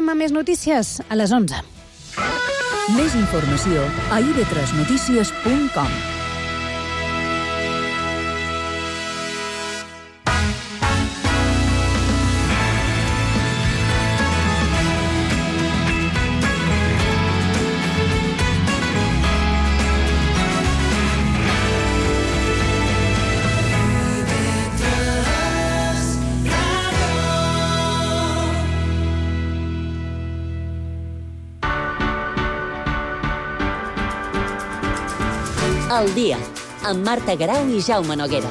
tornem amb més notícies a les 11. Més informació a ib3notícies.com. El dia, amb Marta Garau i Jaume Noguera.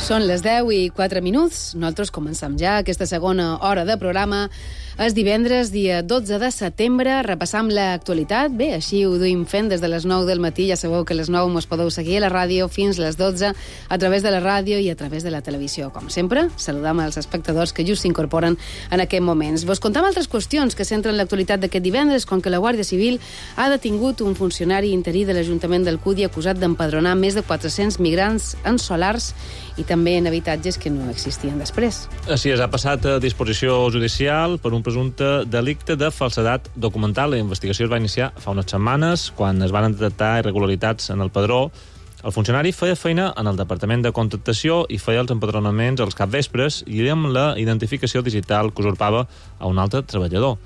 Són les 10:04. Nosaltres comencem ja aquesta segona hora de programa. És divendres, dia 12 de setembre. Repassam l'actualitat. Bé, així ho duim fent des de les 9 del matí. Ja sabeu que a les 9 mos podeu seguir a la ràdio fins les 12 a través de la ràdio i a través de la televisió. Com sempre, saludam als espectadors que just s'incorporen en aquests moments. Vos contam altres qüestions que centren l'actualitat d'aquest divendres, com que la Guàrdia Civil ha detingut un funcionari interí de l'Ajuntament d'Alcúdia acusat d'empadronar més de 400 migrants en solars i també en habitatges que no existien després. Així és, ha passat a disposició judicial per un presumpte delicte de falsedat documental. La investigació es va iniciar fa unes setmanes, quan es van detectar irregularitats en el padró. El funcionari feia feina en el Departament de Contractació i feia els empadronaments als capvespres i amb la identificació digital que usurpava a un altre treballador.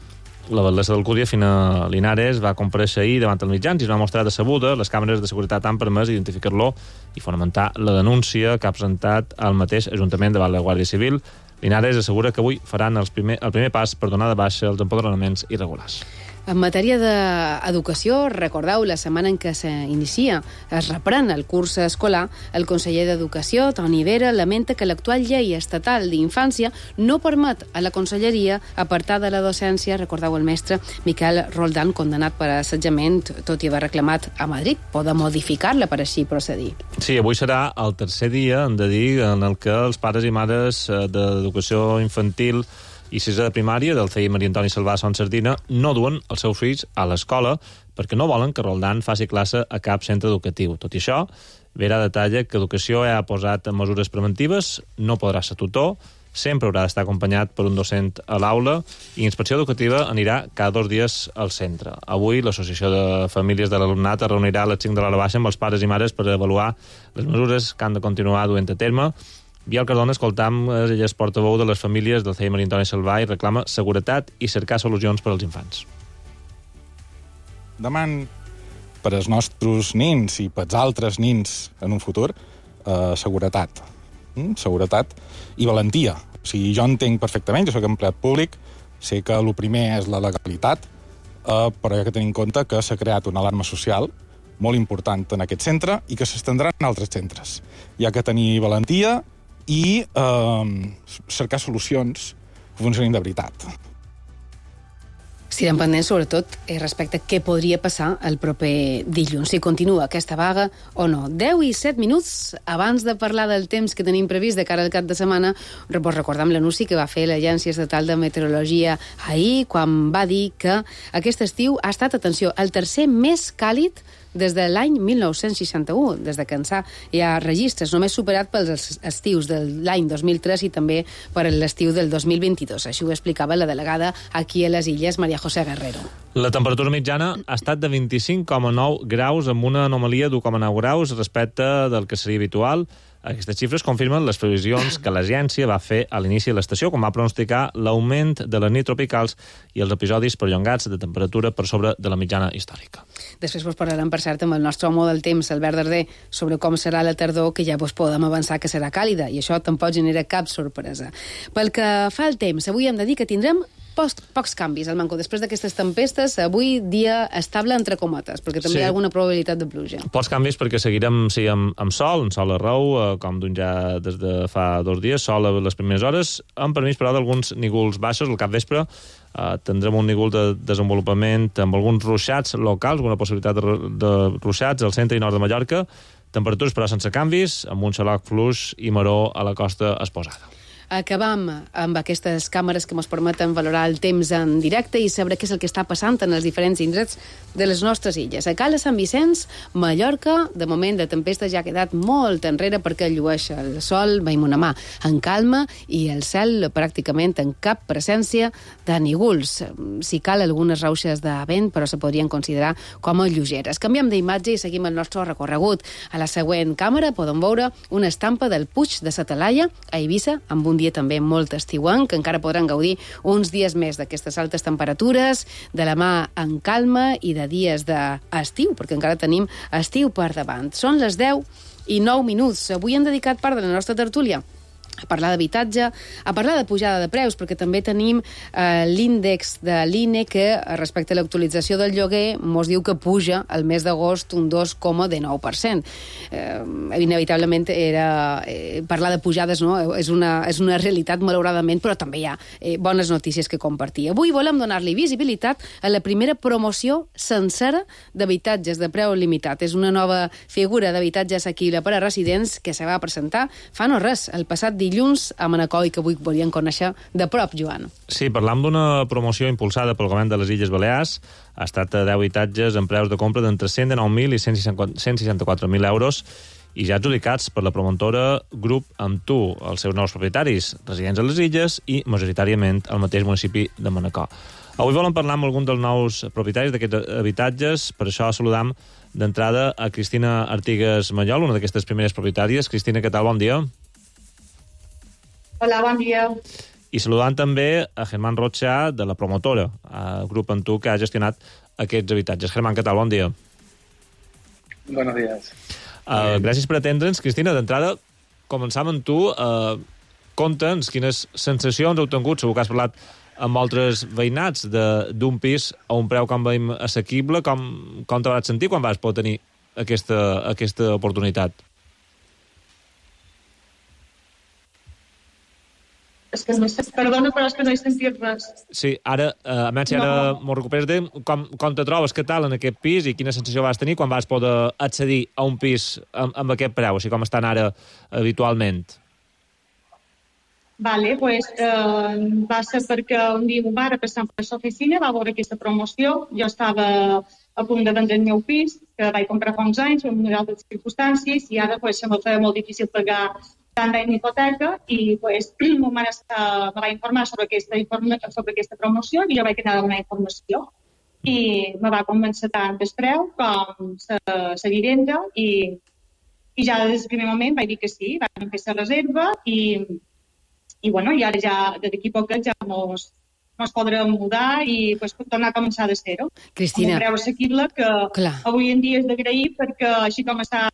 La batllessa d'Alcúdia, Fina Linares, va comparèixer ahir davant els mitjans i es va mostrar decebuda. Les càmeres de seguretat han permès identificar-lo i fonamentar la denúncia que ha presentat el mateix Ajuntament davant la Guàrdia Civil. Linares assegura que avui faran el primer pas per donar de baixa els empadronaments irregulars. En matèria d'educació, recordeu, la setmana en què s'inicia, es reprèn el curs escolar, el conseller d'Educació, Toni Vera, lamenta que l'actual llei estatal d'infància no permet a la conselleria apartar de la docència, recordeu el mestre Miquel Roldán, condemnat per assetjament, tot i haver reclamat a Madrid, poder modificar-la per així procedir. Sí, avui serà el tercer dia, hem de dir, en el que els pares i mares d'educació infantil i sisè de primària del CEI Maria Antoni Salvà Son Sardina no duen els seus fills a l'escola perquè no volen que Roldán faci classe a cap centre educatiu. Tot i això, Vera detalla que Educació ha posat mesures preventives, no podrà ser tutor, sempre haurà d'estar acompanyat per un docent a l'aula i Inspecció Educativa anirà cada 2 dies al centre. Avui l'Associació de Famílies de l'Alumnat es reunirà a les 5 de l'hora baixa amb els pares i mares per avaluar les mesures que han de continuar duent a terme. Biel Cardona, escoltam, ella és portaveu de les famílies del CEI Maria Antoni Salvà i reclama seguretat i cercar solucions per als infants. Deman per als nostres nins i per als altres nins en un futur seguretat. Seguretat i valentia. O sigui, jo entenc perfectament, jo soc empleat públic, sé que el primer és la legalitat, però hi ha que tenir en compte que s'ha creat una alarma social molt important en aquest centre i que s'estendrà en altres centres. Hi ha que tenir valentia i cercar solucions que funcionin de veritat. Estirem pendents, sobretot, respecte a què podria passar el proper dilluns, si continua aquesta vaga o no. 10:07. Abans de parlar del temps que tenim previst de cara al cap de setmana, vos recordam l'anunci que va fer l'Agència Estatal de Meteorologia ahir, quan va dir que aquest estiu ha estat, atenció, el tercer més càlid des de l'any 1961, des de que hi ha registres, només superat pels estius de l'any 2003 i també per l'estiu del 2022. Així ho explicava la delegada aquí a les Illes, Maria José Guerrero. La temperatura mitjana ha estat de 25,9 graus, amb una anomalia d'1,9 graus respecte del que seria habitual. Aquestes xifres confirmen les previsions que l'agència va fer a l'inici de l'estació, quan va pronosticar l'augment de les nits tropicals i els episodis perllongats de temperatura per sobre de la mitjana històrica. Després vos parlarem, per cert, amb el nostre home del temps, Albert Darder, sobre com serà la tardor, que ja vos podem avançar que serà càlida, i això tampoc genera cap sorpresa. Pel que fa al temps, avui hem de dir que tindrem pocs canvis al Manco. Després d'aquestes tempestes, avui dia estable entre cometes, perquè també hi ha alguna probabilitat de pluja. Pocs canvis perquè seguirem amb sol arreu, com d'un ja des de fa 2 dies, sol a les primeres hores, amb permís, però, d'alguns nígols baixos al capvespre. Tindrem un nígol de desenvolupament amb alguns ruixats locals, alguna possibilitat de ruixats al centre i nord de Mallorca, Temperatures, però, sense canvis, amb un xaloc fluix i maror a la costa exposada. Acabam amb aquestes càmeres que ens permeten valorar el temps en directe i saber què és el que està passant en els diferents indrets de les nostres illes. A Cala Sant Vicenç, Mallorca, de moment la tempesta ja ha quedat molt enrere perquè llueix el sol, veiem una mà en calma i el cel pràcticament en cap presència de nígols. Si cal algunes rauxes de vent, però se podrien considerar com a lleugeres. Canviem d'imatge i seguim el nostre recorregut. A la següent càmera podem veure una estampa del Puig de sa Talaia a Eivissa amb un dia també molt estiuenc, que encara podran gaudir uns dies més d'aquestes altes temperatures, de la mà en calma i de dies d'estiu, perquè encara tenim estiu per davant. Són les 10:09. Avui hem dedicat part de la nostra tertúlia a parlar d'habitatge, a parlar de pujada de preus, perquè també tenim l'índex de l'INE que, respecte a l'actualització del lloguer, mos diu que puja el mes d'agost un 2,19%. Inevitablement parlar de pujades, no? és una realitat, malauradament, però també hi ha bones notícies que compartir. Avui volem donar-li visibilitat a la primera promoció sencera d'habitatges de preu limitat. És una nova figura d'habitatge assequible per a residents que se va presentar fa no res, el passat dilluns a Manacor i que avui volien conèixer de prop, Joan. Sí, parlam d'una promoció impulsada pel Govern de les Illes Balears. Ha estat de 10 habitatges amb preus de compra d'entre 119.000 i 164.000 euros i ja adjudicats per la promotora Grup Amb Tu, els seus nous propietaris, residents a les illes i majoritàriament al mateix municipi de Manacor. Avui volem parlar amb algun dels nous propietaris d'aquests habitatges, per això saludam d'entrada a Cristina Artigas Mallol, una d'aquestes primeres propietàries. Cristina, què tal? Bon dia. Hola, bon dia. I saludant també a Germán Rocha, de la promotora, Grup Amb Tu, que ha gestionat aquests habitatges. Germán, què tal? Bon dia. Buenos días. Gràcies per atendre'ns. Cristina, d'entrada, començam amb tu. Conta'ns quines sensacions heu tingut, segur que has parlat amb altres veïnats d'un pis a un preu, com veiem, assequible. Com te vas sentir quan vas poder tenir aquesta oportunitat? És que perdona, però és que no he sentit res. Sí, ara, a menys si ara m'ho recuperes, com te trobes, què tal en aquest pis i quina sensació vas tenir quan vas poder accedir a un pis amb aquest preu, així com estan ara habitualment? Vale, pues va ser perquè un dia un bar passant per l'oficina va veure aquesta promoció. Jo estava a punt de vendre el meu pis, que vaig comprar fa uns anys, amb unes altres circumstàncies, i ara pues, se me feia molt difícil pagar tant en hipoteca i pues, mon mare me va informar sobre aquesta promoció i jo vaig anar a donar informació i me va convèncer tant el preu com la vivenda i ja des del primer moment vaig dir que sí, vam fer la reserva i bueno, i ara ja d'aquí a poc ja mos podrem mudar i pues, tornar a començar de zero. Cristina. Amb un preu assequible que avui en dia és d'agrair perquè així com està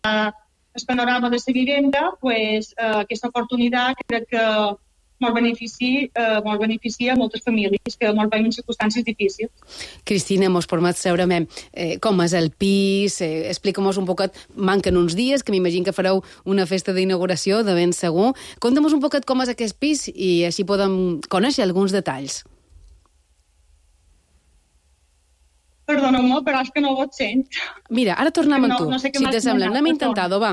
el panorama de la vivenda, pues, aquesta oportunitat crec que molt beneficia a moltes famílies que molt veiem en circumstàncies difícils. Cristina, mos permet saber com és el pis, explica-mos un poquet, manquen uns dies, que m'imagino que fareu una festa d'inauguració, de ben segur. Conta'm un poquet com és aquest pis i així podem conèixer alguns detalls. Perdoneu-me, però és que no ho sent. Mira, ara tornem amb tu, no sé si te sembla. Anem intentant, va.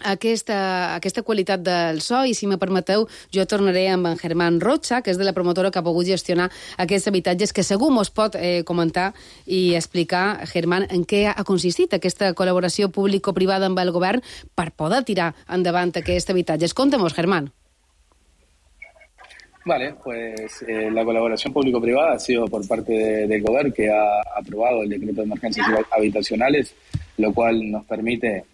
Aquesta qualitat del so i si me permeteu jo tornaré amb en Germán Rocha, que és de la promotora que ha pogut gestionar aquests habitatges, que segur mos pot comentar i explicar, Germán, en què ha consistit aquesta col·laboració público-privada amb el govern per poder tirar endavant aquests habitatges. Conta-mos, Germán. Vale, pues la colaboración público-privada ha sido por parte del gobierno que ha aprobado el decreto de emergencias habitacionales, lo cual nos permite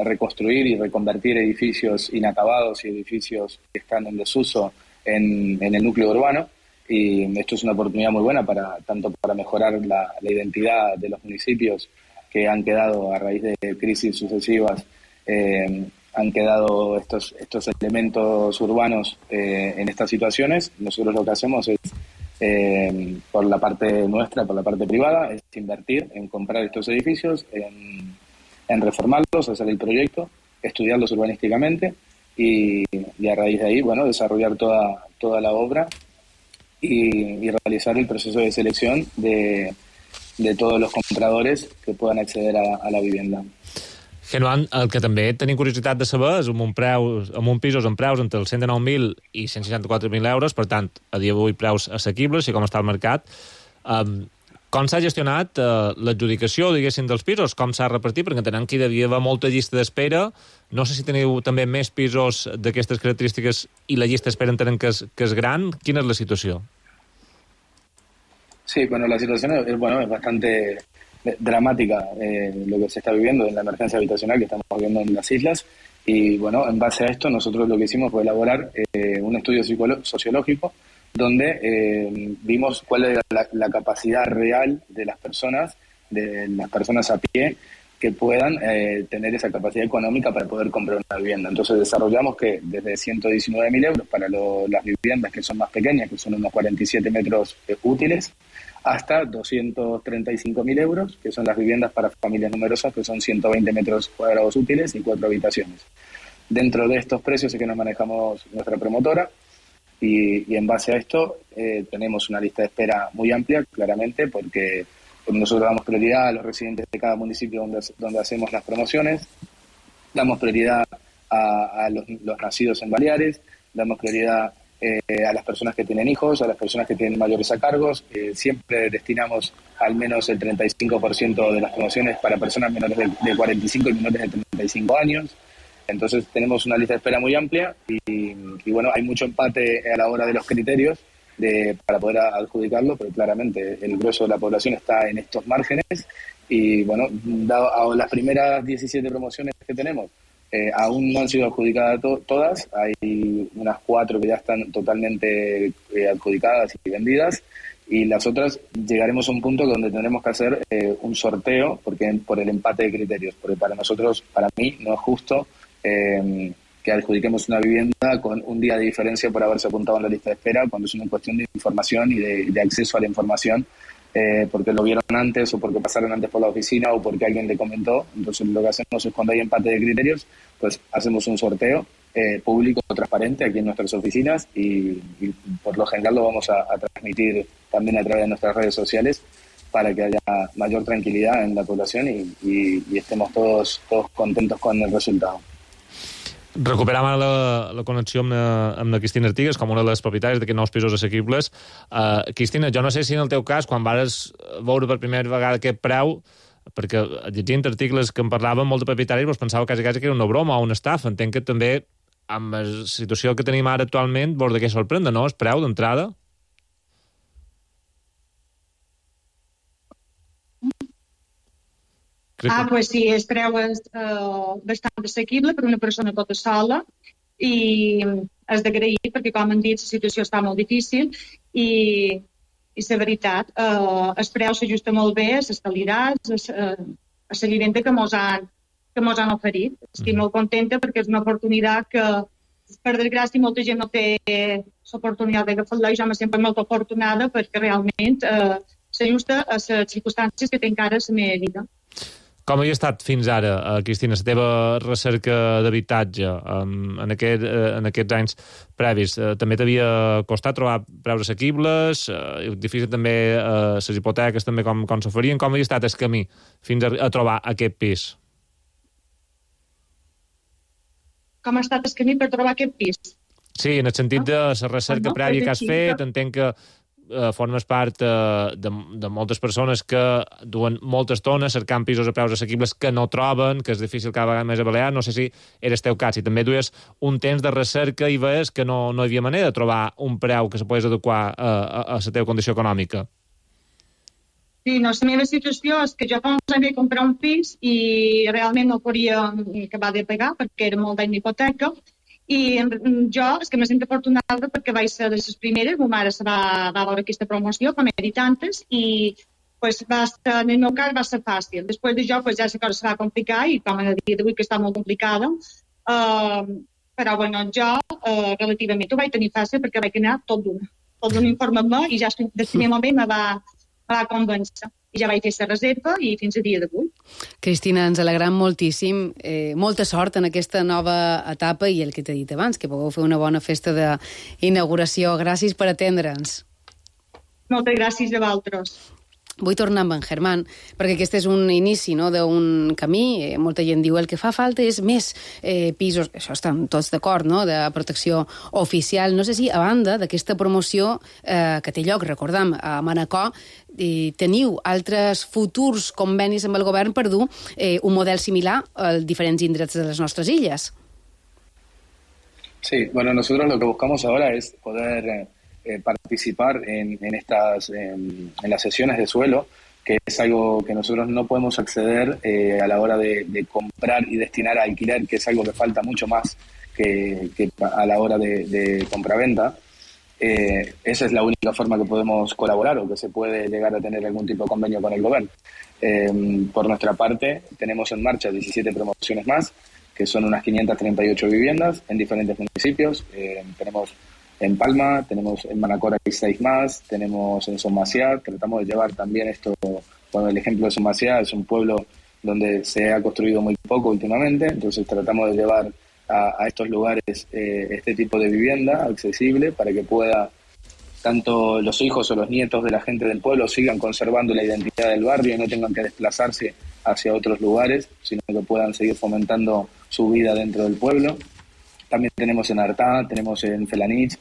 reconstruir y reconvertir edificios inacabados y edificios que están en desuso en el núcleo urbano. Y esto es una oportunidad muy buena tanto para mejorar la identidad de los municipios que han quedado a raíz de crisis sucesivas, han quedado estos elementos urbanos en estas situaciones. Nosotros lo que hacemos es, por la parte nuestra, por la parte privada, es invertir en comprar estos edificios, en reformarlos, hacer el proyecto, estudiarlos urbanísticamente y a raíz de ahí, bueno, desarrollar toda la obra y realizar el proceso de selección de todos los compradores que puedan acceder a la vivienda. Genoan, el que també tenim curiositat de saber és amb pisos amb preus entre els 109.000 i 164.000 euros, per tant, a dia d'avui preus assequibles, i com està el mercat. Com s'ha gestionat l'adjudicació, diguéssim, dels pisos? Com s'ha repartit? Perquè entenem que hi devia haver molta llista d'espera. No sé si teniu també més pisos d'aquestes característiques i la llista d'espera entenem que és gran. Quina és la situació? Sí, bueno, la situación es bastante dramática lo que se está viviendo en la emergencia habitacional que estamos viviendo en las islas. Y bueno, en base a esto nosotros lo que hicimos fue elaborar un estudio sociológico donde vimos cuál era la capacidad real de las personas a pie que puedan tener esa capacidad económica para poder comprar una vivienda. Entonces desarrollamos que desde 119.000 euros para las viviendas que son más pequeñas, que son unos 47 metros útiles, hasta 235.000 euros, que son las viviendas para familias numerosas, que son 120 metros cuadrados útiles y 4 habitaciones. Dentro de estos precios es que nos manejamos nuestra promotora, y en base a esto tenemos una lista de espera muy amplia, claramente, porque nosotros damos prioridad a los residentes de cada municipio donde hacemos las promociones, damos prioridad a los nacidos en Baleares, damos prioridad a las personas que tienen hijos, a las personas que tienen mayores a cargos. Siempre destinamos al menos el 35% de las promociones para personas menores de 45 y menores de 35 años. Entonces tenemos una lista de espera muy amplia y bueno, hay mucho empate a la hora de los criterios para poder adjudicarlo, pero claramente el grueso de la población está en estos márgenes y bueno, dado a las primeras 17 promociones que tenemos, aún no han sido adjudicadas todas, hay unas 4 que ya están totalmente adjudicadas y vendidas, y las otras llegaremos a un punto donde tendremos que hacer un sorteo por el empate de criterios, porque para mí no es justo que adjudiquemos una vivienda con un día de diferencia por haberse apuntado en la lista de espera, cuando es una cuestión de información y de acceso a la información, porque lo vieron antes o porque pasaron antes por la oficina o porque alguien le comentó. Entonces lo que hacemos es, cuando hay empate de criterios, pues hacemos un sorteo público, transparente, aquí en nuestras oficinas, y por lo general lo vamos a transmitir también a través de nuestras redes sociales para que haya mayor tranquilidad en la población y estemos todos contentos con el resultado. Recuperam ara la connexió amb la Cristina Artigas, com una de les propietàries d'aquests nous pisos assequibles. Cristina, jo no sé si en el teu cas, quan vas veure per primera vegada aquest preu, perquè llegint articles que en parlaven, molts de propietaris vos pensava quasi que era una broma o una estafa. Entenc que també, amb la situació que tenim ara actualment, vos de què sorprendre, no?, el preu d'entrada? Pues sí, el preu és bastant assequible per una persona tota sola i és d'agrair perquè, com han dit, la situació està molt difícil i la veritat, el preu s'ajusta molt bé a les qualitats, a la vivenda que mos han oferit. Estic molt contenta perquè és una oportunitat que, per desgràcia, molta gent no té l'oportunitat d'agafar-la, i jo me sento molt afortunada perquè realment s'ajusta a les circumstàncies que tinc ara a la meva vida. Com havia estat fins ara, Cristina, la teva recerca d'habitatge en aquests anys previs? També t'havia costat trobar preus assequibles? Difícil també les hipoteques, també com s'oferien? Com havia estat el camí fins a trobar aquest pis? Com ha estat el camí per trobar aquest pis? Sí, en el sentit de la recerca prèvia que has fet, entenc que formes part de moltes persones que duen molta estona cercant pisos a preus assequibles que no troben, que és difícil cada vegada més a Balears. No sé si era el teu cas, si també duies un temps de recerca i veies que no hi havia manera de trobar un preu que se pogués adequar a la teva condició econòmica. Sí, no, la meva situació és que jo fa uns anys vaig comprar un pis i realment no podia acabar de pagar perquè era molt d'any d'hipoteca. I jo, és que me sento afortunada perquè vaig ser de les primeres, ma mare va veure aquesta promoció, com he dit antes, i en el meu cas va ser fàcil. Després d'això ja la cosa se va complicar i com a dia d'avui que està molt complicada, però bueno, jo relativament ho vaig tenir fàcil perquè vaig anar tot d'un informe i ja del primer moment me va convèncer. I ja vaig fer la reserva i fins a dia d'avui. Cristina, ens alegram moltíssim. Molta sort en aquesta nova etapa i el que t'he dit abans, que pugueu fer una bona festa d'inauguració. Gràcies per atendre'ns. Moltes gràcies a vosaltres. vull tornar amb en Germán, perquè aquest és un inici, no?, d'un camí. Molta gent diu el que fa falta és més pisos, això estan tots d'acord, no?, de protecció oficial. No sé si, a banda d'aquesta promoció que té lloc, recordem, a Manacor, teniu altres futurs convenis amb el govern per dur un model similar a diferents indrets de les nostres illes. Sí, bueno, nosotros lo que buscamos ahora es poder participar en las sesiones de suelo, que es algo que nosotros no podemos acceder a la hora de comprar y destinar a alquiler, que es algo que falta mucho más que a la hora de compraventa. Esa es la única forma que podemos colaborar o que se puede llegar a tener algún tipo de convenio con el gobierno. Por nuestra parte, tenemos en marcha 17 promociones más, que son unas 538 viviendas en diferentes municipios. Tenemos en Palma, tenemos en Manacor hay 6 más, tenemos en Sommacià. Tratamos de llevar también esto, bueno, el ejemplo de Sommacià es un pueblo donde se ha construido muy poco últimamente, entonces tratamos de llevar a estos lugares este tipo de vivienda accesible para que pueda tanto los hijos o los nietos de la gente del pueblo sigan conservando la identidad del barrio y no tengan que desplazarse hacia otros lugares, sino que puedan seguir fomentando su vida dentro del pueblo. También tenemos en Artà, tenemos en Felanitx,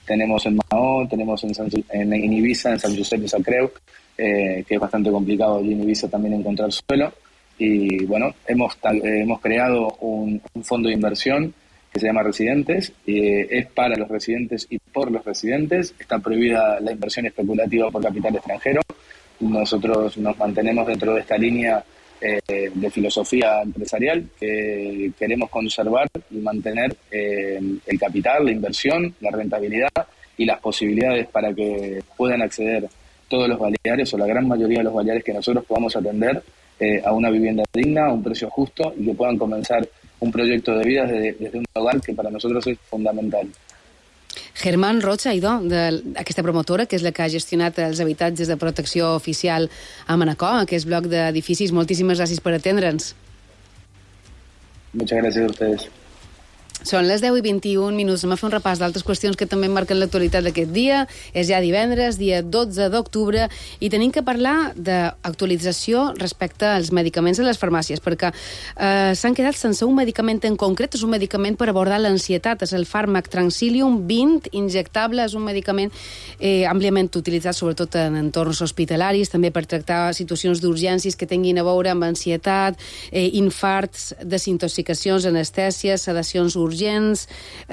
tenemos en Maó, tenemos en Ibiza, en Sant Josep de Sacreu, que es bastante complicado allí en Ibiza también encontrar suelo. Y bueno, hemos creado un fondo de inversión que se llama Residentes, es para los residentes y por los residentes. Está prohibida la inversión especulativa por capital extranjero. Nosotros nos mantenemos dentro de esta línea de filosofía empresarial, que queremos conservar y mantener el capital, la inversión, la rentabilidad y las posibilidades para que puedan acceder todos los baleares o la gran mayoría de los baleares que nosotros podamos atender a una vivienda digna, a un precio justo y que puedan comenzar un proyecto de vida desde un hogar que para nosotros es fundamental. Germán Rocha, idò, d'aquesta promotora, que és la que ha gestionat els habitatges de protecció oficial a Manacor, aquest bloc d'edificis. Moltíssimes gràcies per atendre'ns. Muchas gracias a ustedes. Són les 10:21. Anem a fer un repàs d'altres qüestions que també marquen l'actualitat d'aquest dia. És ja divendres, dia 12 d'octubre, i tenim que parlar d'actualització respecte als medicaments a les farmàcies, perquè s'han quedat sense un medicament en concret. És un medicament per abordar l'ansietat. És el fàrmac Transilium 20 injectable. És un medicament àmpliament utilitzat sobretot en entorns hospitalaris, també per tractar situacions d'urgències que tinguin a veure amb ansietat, infarts, desintoxicacions, anestèsies, sedacions urgents,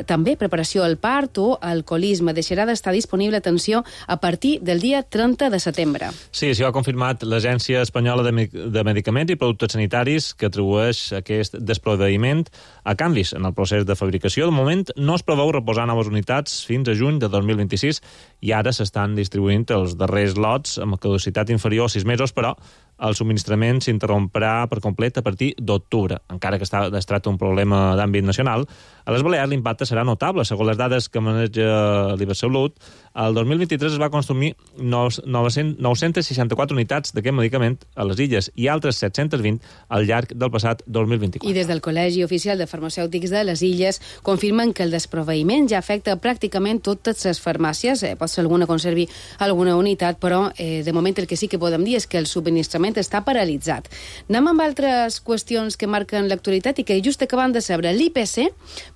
també preparació al part o alcoholisme. Deixarà d'estar disponible, atenció, a partir del dia 30 de setembre. Sí, això ho ha confirmat l'Agència Espanyola de Medicaments i Productes Sanitaris, que atribueix aquest desproveïment a canvis en el procés de fabricació. De moment no es preveu reposar noves unitats fins a juny de 2026 i ara s'estan distribuint els darrers lots amb caducitat inferior a 6 mesos, però el subministrament s'interromprà per complet a partir d'octubre. Encara que es tracta d'un problema d'àmbit nacional, a les Balears l'impacte serà notable. Segons les dades que maneja l'Ibersalut, el 2023 es va consumir 964 unitats d'aquest medicament a les illes i altres 720 al llarg del passat 2024. I des del Col·legi Oficial de Farmacèutics de les Illes confirmen que el desproveïment ja afecta pràcticament totes les farmàcies. Pot ser alguna conservi alguna unitat, però de moment el que sí que podem dir és que el subministrament està paralitzat. Anem amb altres qüestions que marquen l'actualitat i que just acabant de saber. L'IPC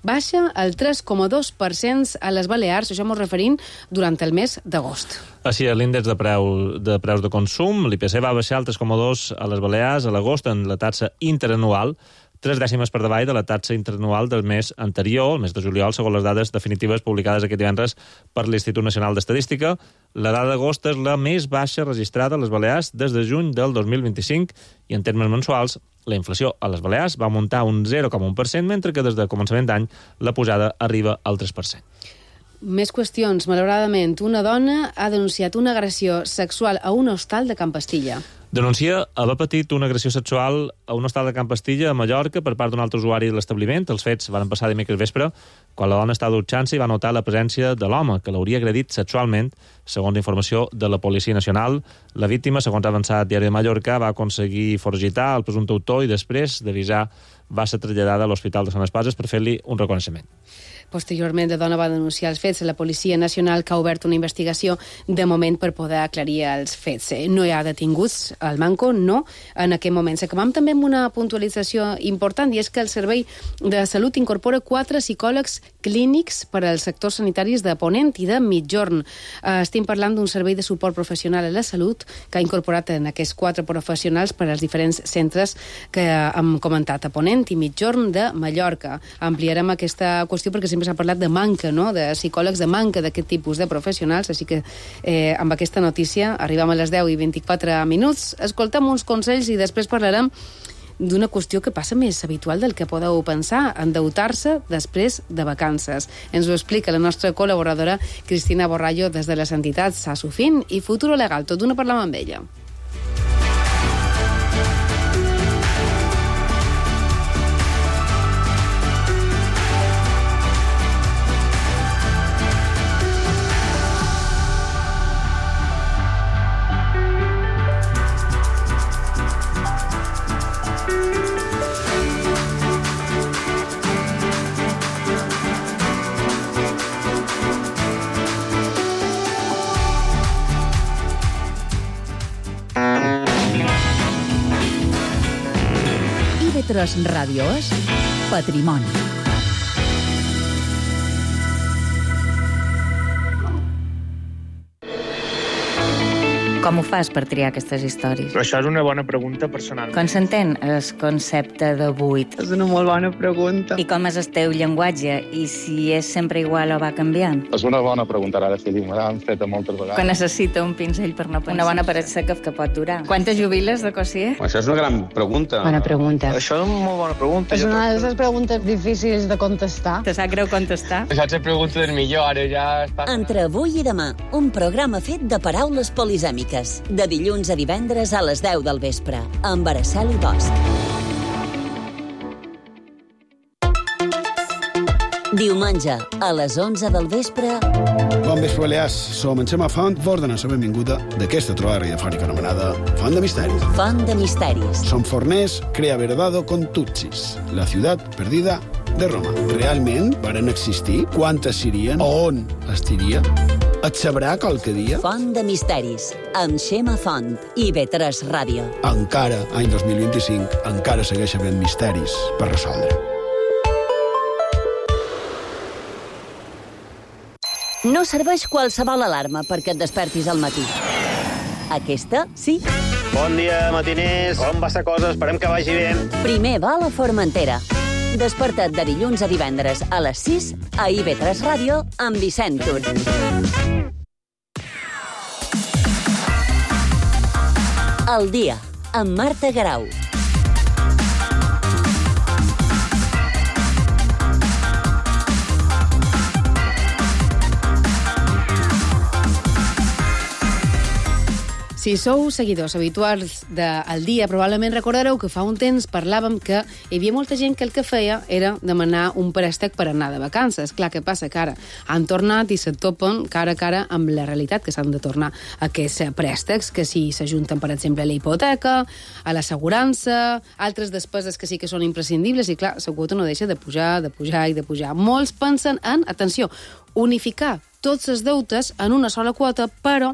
baixa el 3,2% a les Balears, això m'ho referint durant el mes d'agost. Així és, l'índex de preus de consum, l'IPC va baixar el 3,2 a les Balears a l'agost en la taxa interanual, 3 dècimes per davall de la taxa interanual del mes anterior, el mes de juliol, segons les dades definitives publicades aquest divendres per l'Institut Nacional d'Estadística. La dada d'agost és la més baixa registrada a les Balears des de juny del 2025 i en termes mensuals la inflació a les Balears va augmentar un 0,1%, mentre que des de començament d'any la pujada arriba al 3%. Més qüestions. Malauradament, una dona ha denunciat una agressió sexual a un hostal de Can Pastilla. Denuncia haver patit una agressió sexual a un hostal de Can Pastilla, a Mallorca, per part d'un altre usuari de l'establiment. Els fets van passar dimecres vespre, quan la dona estava dutxant-se i va notar la presència de l'home, que l'hauria agredit sexualment, segons informació de la Policia Nacional. La víctima, segons ha avançat Diari de Mallorca, va aconseguir foragitar el presumpte autor i després d'avisar va ser traslladada a l'Hospital de Sant Espases per fer-li un reconeixement. Posteriorment, la dona va denunciar els fets a la Policia Nacional, que ha obert una investigació de moment per poder aclarir els fets. No hi ha detinguts al Manco, no, en aquest moment. Acabam també amb una puntualització important, i és que el Servei de Salut incorpora 4 psicòlegs clínics per als sectors sanitaris de Ponent i de Migjorn. Estem parlant d'un servei de suport professional a la salut que ha incorporat en aquests 4 professionals per als diferents centres que hem comentat a Ponent i Migjorn de Mallorca. Ampliarem aquesta qüestió perquè sempre s'ha parlat de manca, no?, de psicòlegs, de manca d'aquest tipus de professionals, així que amb aquesta notícia arribem a les 10:24 minuts, escoltem uns consells i després parlarem d'una qüestió que passa més habitual del que podeu pensar, endeutar-se després de vacances. Ens ho explica la nostra col·laboradora Cristina Borrallo des de les entitats Asufin i Futuro Legal. Tot d'una parlam amb ella. IB3 Ràdio és Patrimoni. Com ho fas per triar aquestes històries? Però això és una bona pregunta personal. Com s'entén el concepte de buit? És una molt bona pregunta. I com és el teu llenguatge? I si és sempre igual o va canviant? És una bona pregunta, ara sí, me l'han fet moltes vegades. Que necessita un pinzell per no pensar. Una bona paret seca que pot durar. Quantes jubiles de Cossier? Això és una gran pregunta. Bona pregunta. Això és una molt bona pregunta. És una de les preguntes difícils de contestar. Te sap greu contestar? Això és la pregunta del millor, ara ja està... Entre avui i demà, un programa fet de paraules polisèmiques. De dilluns a divendres a les 10 del vespre, amb Araceli Bosch. Diumenge, a les 11 del vespre... Bon vespre, Balears. Som en Xema Font, vos donem la benvinguda d'aquesta trobada radiofònica anomenada Font de Misteris. Font de Misteris. Som forners, crea verdado con Tutsis, la ciutat perdida de Roma. Realment varen existir? Quantes serien? On estiria? Et sabrà qualque dia? Font de Misteris, amb Xema Font i IB3 Ràdio. Encara, any 2025, encara segueix havent misteris per resoldre. No serveix qualsevol alarma perquè et despertis al matí. Aquesta, sí. Bon dia, matiners. Com va la cosa? Esperem que vagi bé. Primer va a la Formentera. Desperta't de dilluns a divendres a les 6 a IB3 Ràdio amb Vicent Tur. El dia, amb Marta Garau. Si sou seguidors habituals del dia, probablement recordareu que fa un temps parlàvem que hi havia molta gent que el que feia era demanar un préstec per anar de vacances. Clar, què passa? Que ara han tornat i se topen cara a cara amb la realitat, que s'han de tornar aquests préstecs, que si s'ajunten, per exemple, a la hipoteca, a l'assegurança, altres despeses que sí que són imprescindibles, i clar, la quota no deixa de pujar, de pujar i de pujar. Molts pensen en, atenció, unificar tots els deutes en una sola quota, però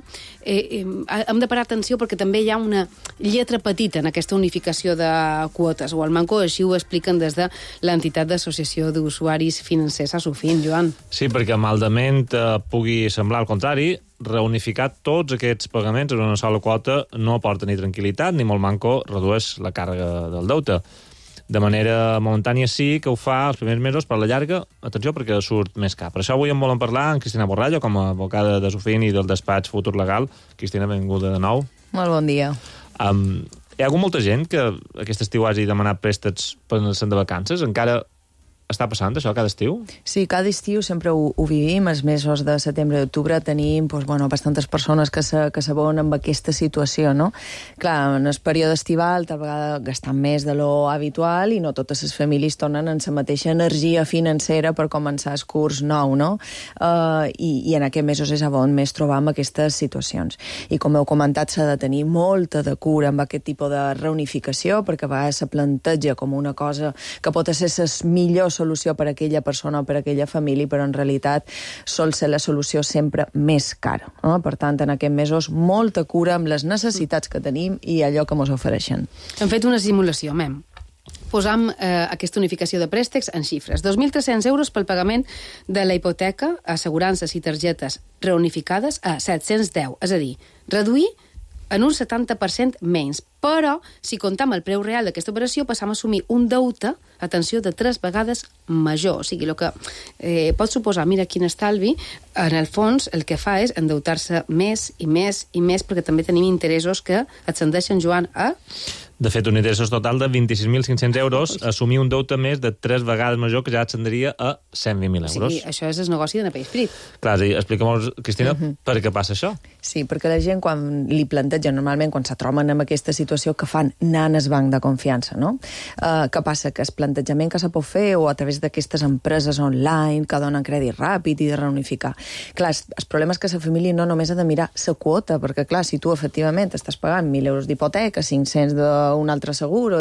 hem de parar atenció perquè també hi ha una lletra petita en aquesta unificació de quotes. O al Manco així ho expliquen des de l'entitat d'Associació d'Usuaris Financers Asufin, Joan. Sí, perquè maldament pugui semblar al contrari, reunificar tots aquests pagaments en una sola quota no aporta ni tranquil·litat ni molt manco redueix la càrrega del deute. De manera momentània sí que ho fa els primers mesos, per la llarga, atenció, perquè surt més car. Per això avui en volen parlar amb Cristina Borrallo, com a advocada de Sofin i del despatx Futur Legal. Cristina, benvinguda de nou. Molt bon dia. Hi ha hagut molta gent que aquest estiu hagi demanat préstecs per anar-se'n de vacances. Encara està passant això cada estiu? Sí, cada estiu sempre ho vivim. Els mesos de setembre i d'octubre tenim bastantes persones que se veuen amb aquesta situació, no? Clar, en el període estival tal vegada gastant més de lo habitual i no totes les famílies tornen en la mateixa energia financera per començar el curs nou, no? I en aquests mesos és on més trobam aquestes situacions. I com heu comentat, s'ha de tenir molta de cura amb aquest tipus de reunificació, perquè a vegades se planteja com una cosa que pot ser la millor solució per a aquella persona o per a aquella família, però en realitat sol ser la solució sempre més cara, no? Per tant, en aquests mesos, molta cura amb les necessitats que tenim i allò que ens ofereixen. Hem fet una simulació, mem. Posam aquesta unificació de préstecs en xifres. 2.300 euros pel pagament de la hipoteca, assegurances i targetes reunificades a 710, és a dir, reduir en un 70% menys. Però, si comptam el preu real d'aquesta operació, passam a assumir un deute, atenció, de 3 vegades major. O sigui, el que pot suposar, mira quin estalvi, en el fons el que fa és endeutar-se més i més i més, perquè també tenim interessos que ascendeixen, Joan, a... De fet, un interès total de 26.500 euros, assumir un deute més de 3 vegades major, que ja ascendria a 120.000 euros. Sí, això és el negoci de Napell Frit. Clar, explica'm, Cristina, per què passa això? Sí, perquè la gent, quan li planteja, normalment, quan se troben en aquesta situació, que fan anar al banc de confiança, no? Què passa? Que el plantejament que se pot fer o a través d'aquestes empreses online que donen crèdit ràpid i de reunificar. Clar, el problema és que la família no només ha de mirar la quota, perquè, clar, si tu efectivament estàs pagant 1.000 euros d'hipoteca, 500 d'un altre seguro,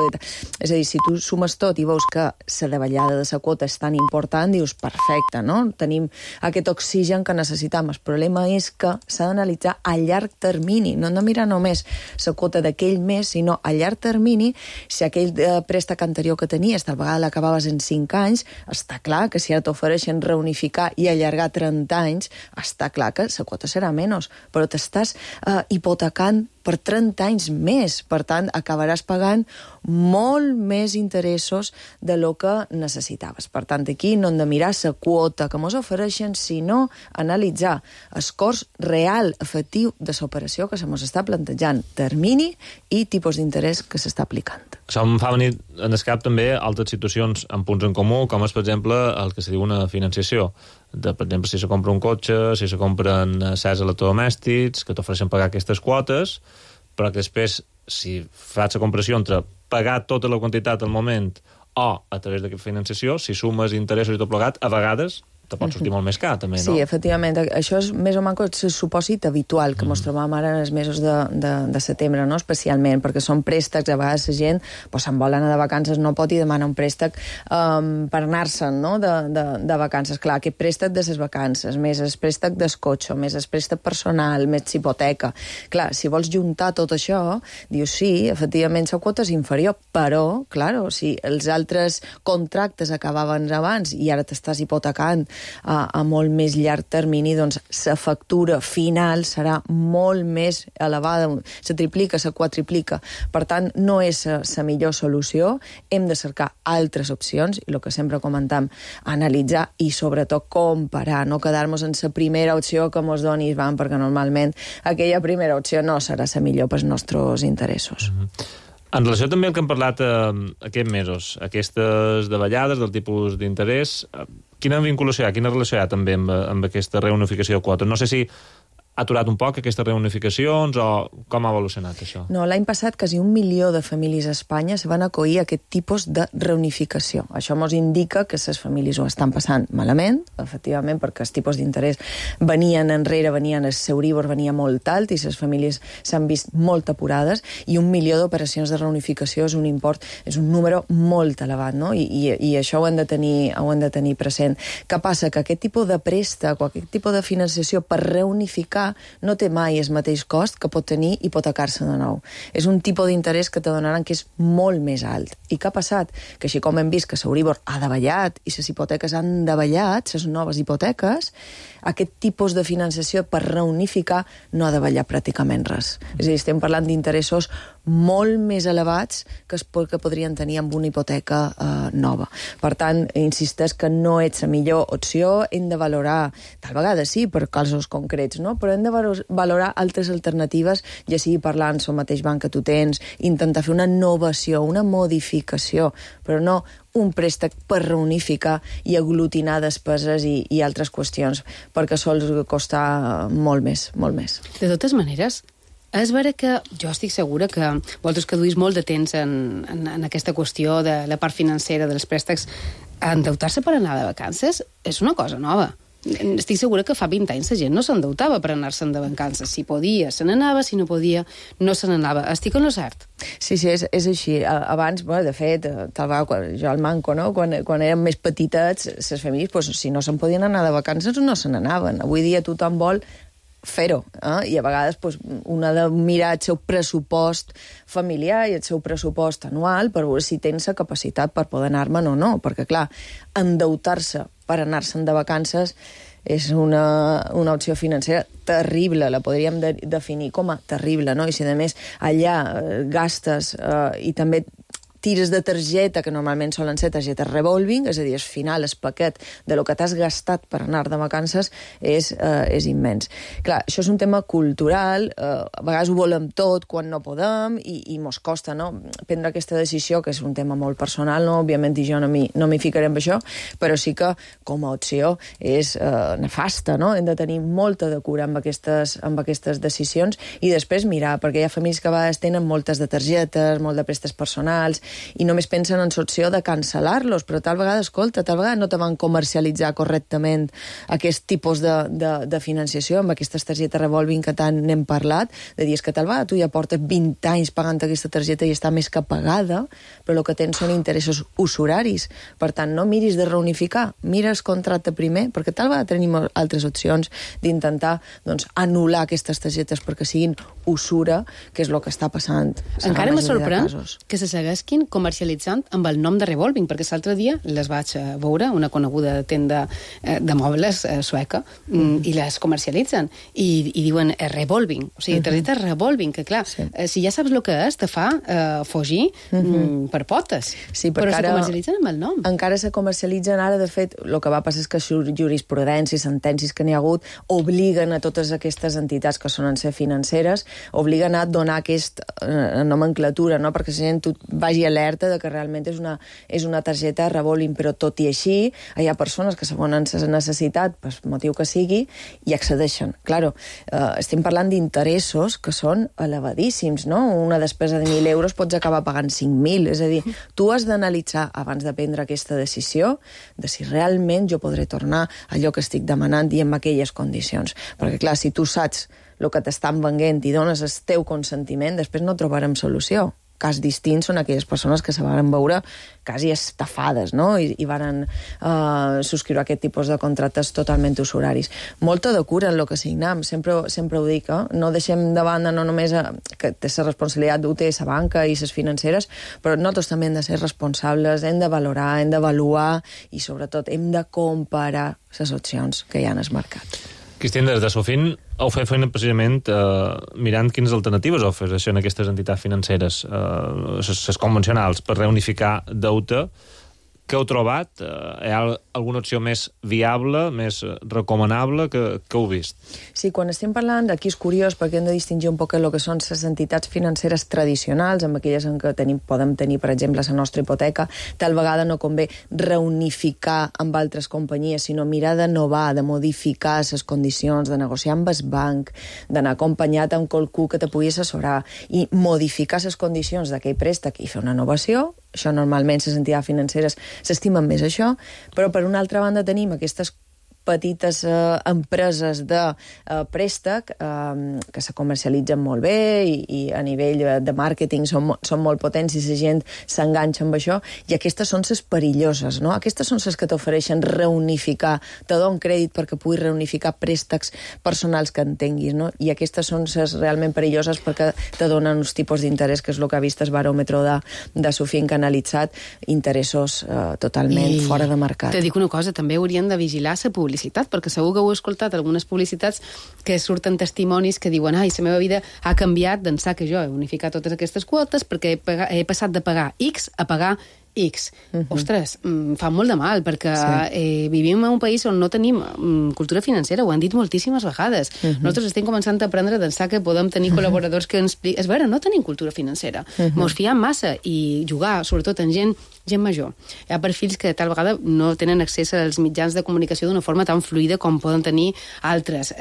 és a dir, si tu sumes tot i veus que la davallada de la quota és tan important, dius, perfecte, no? Tenim aquest oxigen que necessitam. El problema és que s'ha d'analitzar a llarg termini, no hem de mirar només la quota d'aquell mes, sinó a llarg termini, si aquell préstec anterior que tenies, tal vegada l'acabaves en 5 anys, està clar que si ara t'ofereixen reunificar i allargar 30 anys, està clar que la quota serà menys, però t'estàs hipotecant per 30 anys més. Per tant, acabaràs pagant molt més interessos de lo que necessitaves. Per tant, aquí no hem de mirar la quota que ens ofereixen, sinó analitzar el cost real, efectiu, de l'operació que se ens està plantejant, termini i tipus d'interès que s'està aplicant. Això em fa venir en el cap també altres situacions amb punts en comú, com és, per exemple, el que se diu una financiació. Per exemple, si se compra un cotxe, si se compren certs electrodomèstics, que t'ofereixen pagar aquestes quotes, però que després, si fas la comparació entre pagar tota la quantitat al moment o a través d'aquesta financiació, si sumes interessos i tot plegat, a vegades te pot sortir molt més car, també, no? Sí, efectivament. Això és més o menys el supòsit habitual que ens trobam ara en els mesos de setembre, no? Especialment, perquè són préstecs, a vegades la gent se'n vol anar de vacances, no pot i demana un préstec per anar-se'n, no? De vacances. Clar, aquest préstec de les vacances, més el préstec del cotxe, més el préstec personal, més hipoteca. Clar, si vols juntar tot això, dius, sí, efectivament la quota és inferior, però, clar, si els altres contractes acabaven abans i ara t'estàs hipotecant a molt més llarg termini, doncs la factura final serà molt més elevada, se triplica, se quadriplica. Per tant, no és la millor solució, hem de cercar altres opcions, i el que sempre comentam, analitzar i sobretot comparar, no quedar-nos en la primera opció que ens doni el banc, perquè normalment aquella primera opció no serà la millor pels nostres interessos. En relació també al que hem parlat aquests mesos, aquestes davallades del tipus d'interès, quina vinculació hi ha, quina relació hi ha també amb aquesta reunificació de quotes? No sé si ha aturat un poc aquestes reunificacions o com ha evolucionat això? No, l'any passat quasi 1 milió de famílies a Espanya se van acollir a aquest tipus de reunificació. Això ens indica que les famílies ho estan passant malament, efectivament, perquè els tipus d'interès venien enrere, el Euribor venia molt alt i les famílies s'han vist molt apurades, i 1 milió d'operacions de reunificació és un import, és un número molt elevat, no? I això ho hem de tenir present. Què passa? Que aquest tipus de préstec o aquest tipus de financiació per reunificar no té mai el mateix cost que pot tenir hipotecar-se de nou. És un tipus d'interès que te donaran que és molt més alt. I què ha passat? Que així com hem vist que l'Euribor ha davallat i les hipoteques han davallat, les noves hipoteques, aquest tipus de financiació per reunificar no ha davallat pràcticament res. És a dir, estem parlant d'interessos molt més elevats que podrien tenir amb una hipoteca nova. Per tant, insisteix que no és la millor opció, hem de valorar, tal vegada sí, per casos concrets, no? Però hem de valorar altres alternatives, ja sigui parlant el mateix banc que tu tens, intentar fer una innovació, una modificació, però no un préstec per reunificar i aglutinar despeses i altres qüestions, perquè sols costa molt més, molt més. De totes maneres, és vera que jo estic segura que vosaltres que duís molt de temps en aquesta qüestió de la part financera dels préstecs, endeutar-se per anar de vacances és una cosa nova. Estic segura que fa 20 anys la gent no s'endeutava per anar-se'n de vacances. Si podia, se n'anava, si no podia, no se n'anava. Estic en lo cert? Sí, és així. Abans, de fet, tal vegada, jo al Manco, no? Quan érem més petitets, les famílies, si no se'n podien anar de vacances, no se n'anaven. Avui dia tothom vol fer-ho, i a vegades un ha de mirar el seu pressupost familiar i el seu pressupost anual per veure si tens la capacitat per poder anar-me'n o no, perquè clar, endeutar-se per anar-se'n de vacances és una opció financera terrible, la podríem definir com a terrible, no? I si a més allà gastes i també tires de targeta, que normalment solen ser targetes revolving, és a dir, al final el paquet de lo que t'has gastat per anar de vacances és immens. Clar, això és un tema cultural, a vegades ho volem tot quan no podem i mos costa, no?, prendre aquesta decisió, que és un tema molt personal, no? Òbviament jo no m'hi ficaré amb això, però sí que com a opció és nefasta, no? Hem de tenir molta de cura amb aquestes decisions i després mirar, perquè hi ha famílies que a vegades tenen moltes de targetes, molt de préstecs personals, i només pensen en l'opció de cancel·lar-los, però tal vegada, escolta, tal vegada no te van comercialitzar correctament aquest tipus de financiació amb aquestes targetes revolving que tant n'hem parlat, de dir que tal vegada tu ja portes 20 anys pagant aquesta targeta i està més que pagada, però el que tens són interessos usuraris. Per tant, no miris de reunificar, mira el contracte primer, perquè tal vegada tenim altres opcions d'intentar anul·lar aquestes targetes perquè siguin usura, que és el que està passant. Encara me sorprèn que se segueixin comercialitzant amb el nom de revolving, perquè l'altre dia les vaig veure, una coneguda tenda de mobles sueca, i les comercialitzen, i diuen revolving, o sigui, targeta revolving, que clar, si ja saps el que és, te fa fugir per potes. Sí, però se comercialitzen amb el nom. Encara se comercialitzen ara, de fet, el que va passar és que jurisprudència i sentències que n'hi ha hagut obliguen a totes aquestes entitats que solen ser financeres, obliguen a donar aquesta nomenclatura, no?, perquè la gent vagi alerta de que realment és una targeta revolving, però tot i així hi ha persones que saben la necessitat, per motiu que sigui, i accedeixen. Claro, estem parlant d'interessos que són elevadíssims, no? Una despesa de 1.000 euros pots acabar pagant 5.000, és a dir, tu has d'analitzar abans de prendre aquesta decisió de si realment jo podré tornar allò que estic demanant i amb aquelles condicions. Perquè clar, si tu saps el que t'estan venent i dones el teu consentiment, després no trobarem solució. Cas distint són aquelles persones que se van veure quasi estafades, no?, i van subscriure aquest tipus de contractes totalment usuraris. Molta de cura en el que signem, sempre ho dic, no deixem de banda no només que té la responsabilitat d'ho té la banca i les financeres, però nosaltres també hem de ser responsables, hem de valorar, hem d'avaluar i sobretot hem de comparar les opcions que hi ha en el mercat. Cristina, des de Sofin heu fet feina precisament mirant quines alternatives ofereixen aquestes entitats financeres, les convencionals, per reunificar deute. Què heu trobat? Hi ha alguna opció més viable, més recomanable que heu vist? Sí, quan estem parlant, aquí és curiós perquè hem de distingir un poc el que són les entitats financeres tradicionals, amb aquelles en què podem tenir, per exemple, la nostra hipoteca. Tal vegada no convé reunificar amb altres companyies, sinó mirar d'innovar, de modificar les condicions, de negociar amb el banc, d'anar acompanyat amb qualcú que te pugui assessorar i modificar les condicions d'aquell préstec i fer una innovació. Això normalment les entitats financeres s'estimen més això, però per una altra banda tenim aquestes petites empreses de préstec que se comercialitzen molt bé i a nivell de màrqueting són molt potents i la gent s'enganxa amb això, i aquestes són les perilloses, no? Aquestes són les que t'ofereixen reunificar, te donen crèdit perquè puguis reunificar préstecs personals que entenguis, no? I aquestes són les realment perilloses perquè te donen uns tipus d'interès, que és el que ha vist el baròmetre de Sofin, que ha analitzat interessos totalment fora de mercat. Te dic una cosa, també haurien de vigilar la publicitat publicitat, perquè segur que heu escoltat algunes publicitats que surten testimonis que diuen la meva vida ha canviat d'ençà que jo he unificat totes aquestes quotes perquè he passat de pagar X a pagar X. Ostres, fa molt de mal, perquè vivim en un país on no tenim cultura financera, ho han dit moltíssimes vegades. Nosaltres estem començant a aprendre d'ençà que podem tenir col·laboradors que ens expliquen... És vera, no tenim cultura financera. Mos fiem massa i jugar, sobretot en gent major. Hi ha perfils que tal vegada no tenen accés als mitjans de comunicació d'una forma tan fluida com poden tenir altres.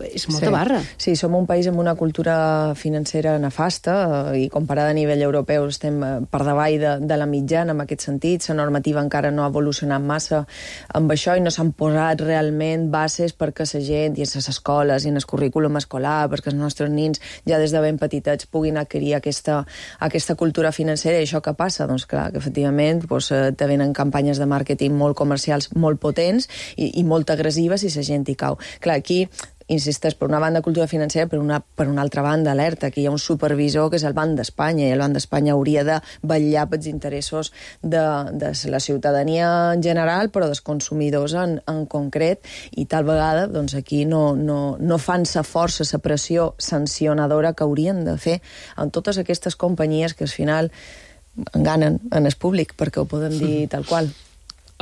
És molta barra. Sí, som un país amb una cultura financera nefasta i comparada a nivell europeu estem per davall de la mitjana en aquest sentit. La normativa encara no ha evolucionat massa amb això i no s'han posat realment bases perquè la gent i en les escoles i en el currículum escolar, perquè els nostres nins ja des de ben petitets puguin adquirir aquesta cultura financera. I això què passa? Doncs clar, que efectivament te venen campanyes de màrqueting molt comercials, molt potents i molt agressives i la gent hi cau. Clar, aquí insisteix, per una banda cultura financera, per una altra banda alerta, que hi ha un supervisor que és el Banc d'Espanya, i el Banc d'Espanya hauria de vetllar pels interessos de la ciutadania en general, però dels consumidors en concret, i tal vegada doncs aquí no fan la força, la pressió sancionadora que haurien de fer en totes aquestes companyies que al final enganen en el públic, perquè ho podem dir tal qual.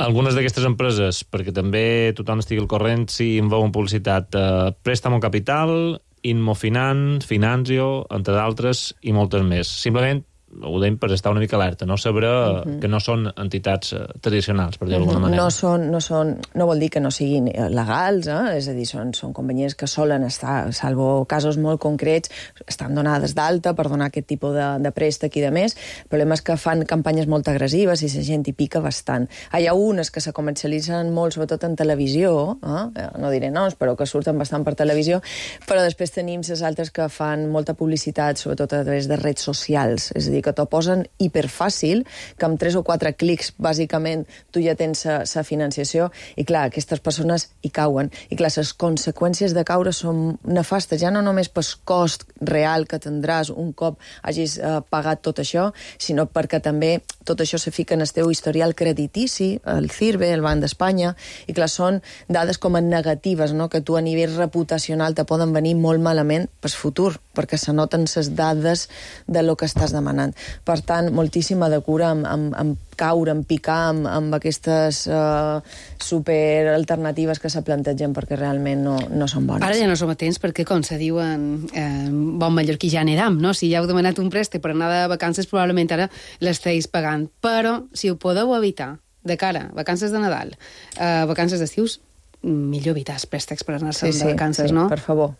Algunes d'aquestes empreses, perquè també tothom estigui al corrent, si en veuen publicitat, Préstamo Capital, Inmofinant, Finanzio, entre d'altres, i moltes més. Simplement ho deim per estar una mica alerta, no saber que no són entitats tradicionals, per dir-ho d'alguna manera. No vol dir que no siguin legals, és a dir, són companyies que solen estar, salvo casos molt concrets, estan donades d'alta per donar aquest tipus de préstec i de més. El problema és que fan campanyes molt agressives i la gent hi pica bastant. Hi ha unes que se comercialitzen molt, sobretot en televisió, no diré noms, però que surten bastant per televisió, però després tenim les altres que fan molta publicitat, sobretot a través de redes socials, és a dir, que t'ho posen hiperfàcil, que amb 3 o 4 clics, bàsicament, tu ja tens la financiació, i clar, aquestes persones hi cauen. I clar, les conseqüències de caure són nefastes, ja no només pel cost real que tindràs un cop hagis pagat tot això, sinó perquè també tot això se fica en el teu historial creditici, el CIRBE, el Banc d'Espanya, i clar, són dades com a negatives, no? Que tu a nivell reputacional te poden venir molt malament pel futur, perquè se noten les dades de lo que estàs demanant. Per tant, moltíssima de cura amb caure, amb picar, amb aquestes superalternatives que se plantegen perquè realment no són bones. Ara ja no som atents perquè, com se diu en bon mallorquí, ja n'edam, no? Si ja heu demanat un préstec per anar de vacances, probablement ara l'esteu pagant. Però, si ho podeu evitar, de cara a vacances de Nadal, vacances d'estius, millor evitar els préstecs per anar-se'n de vacances, no? Per favor.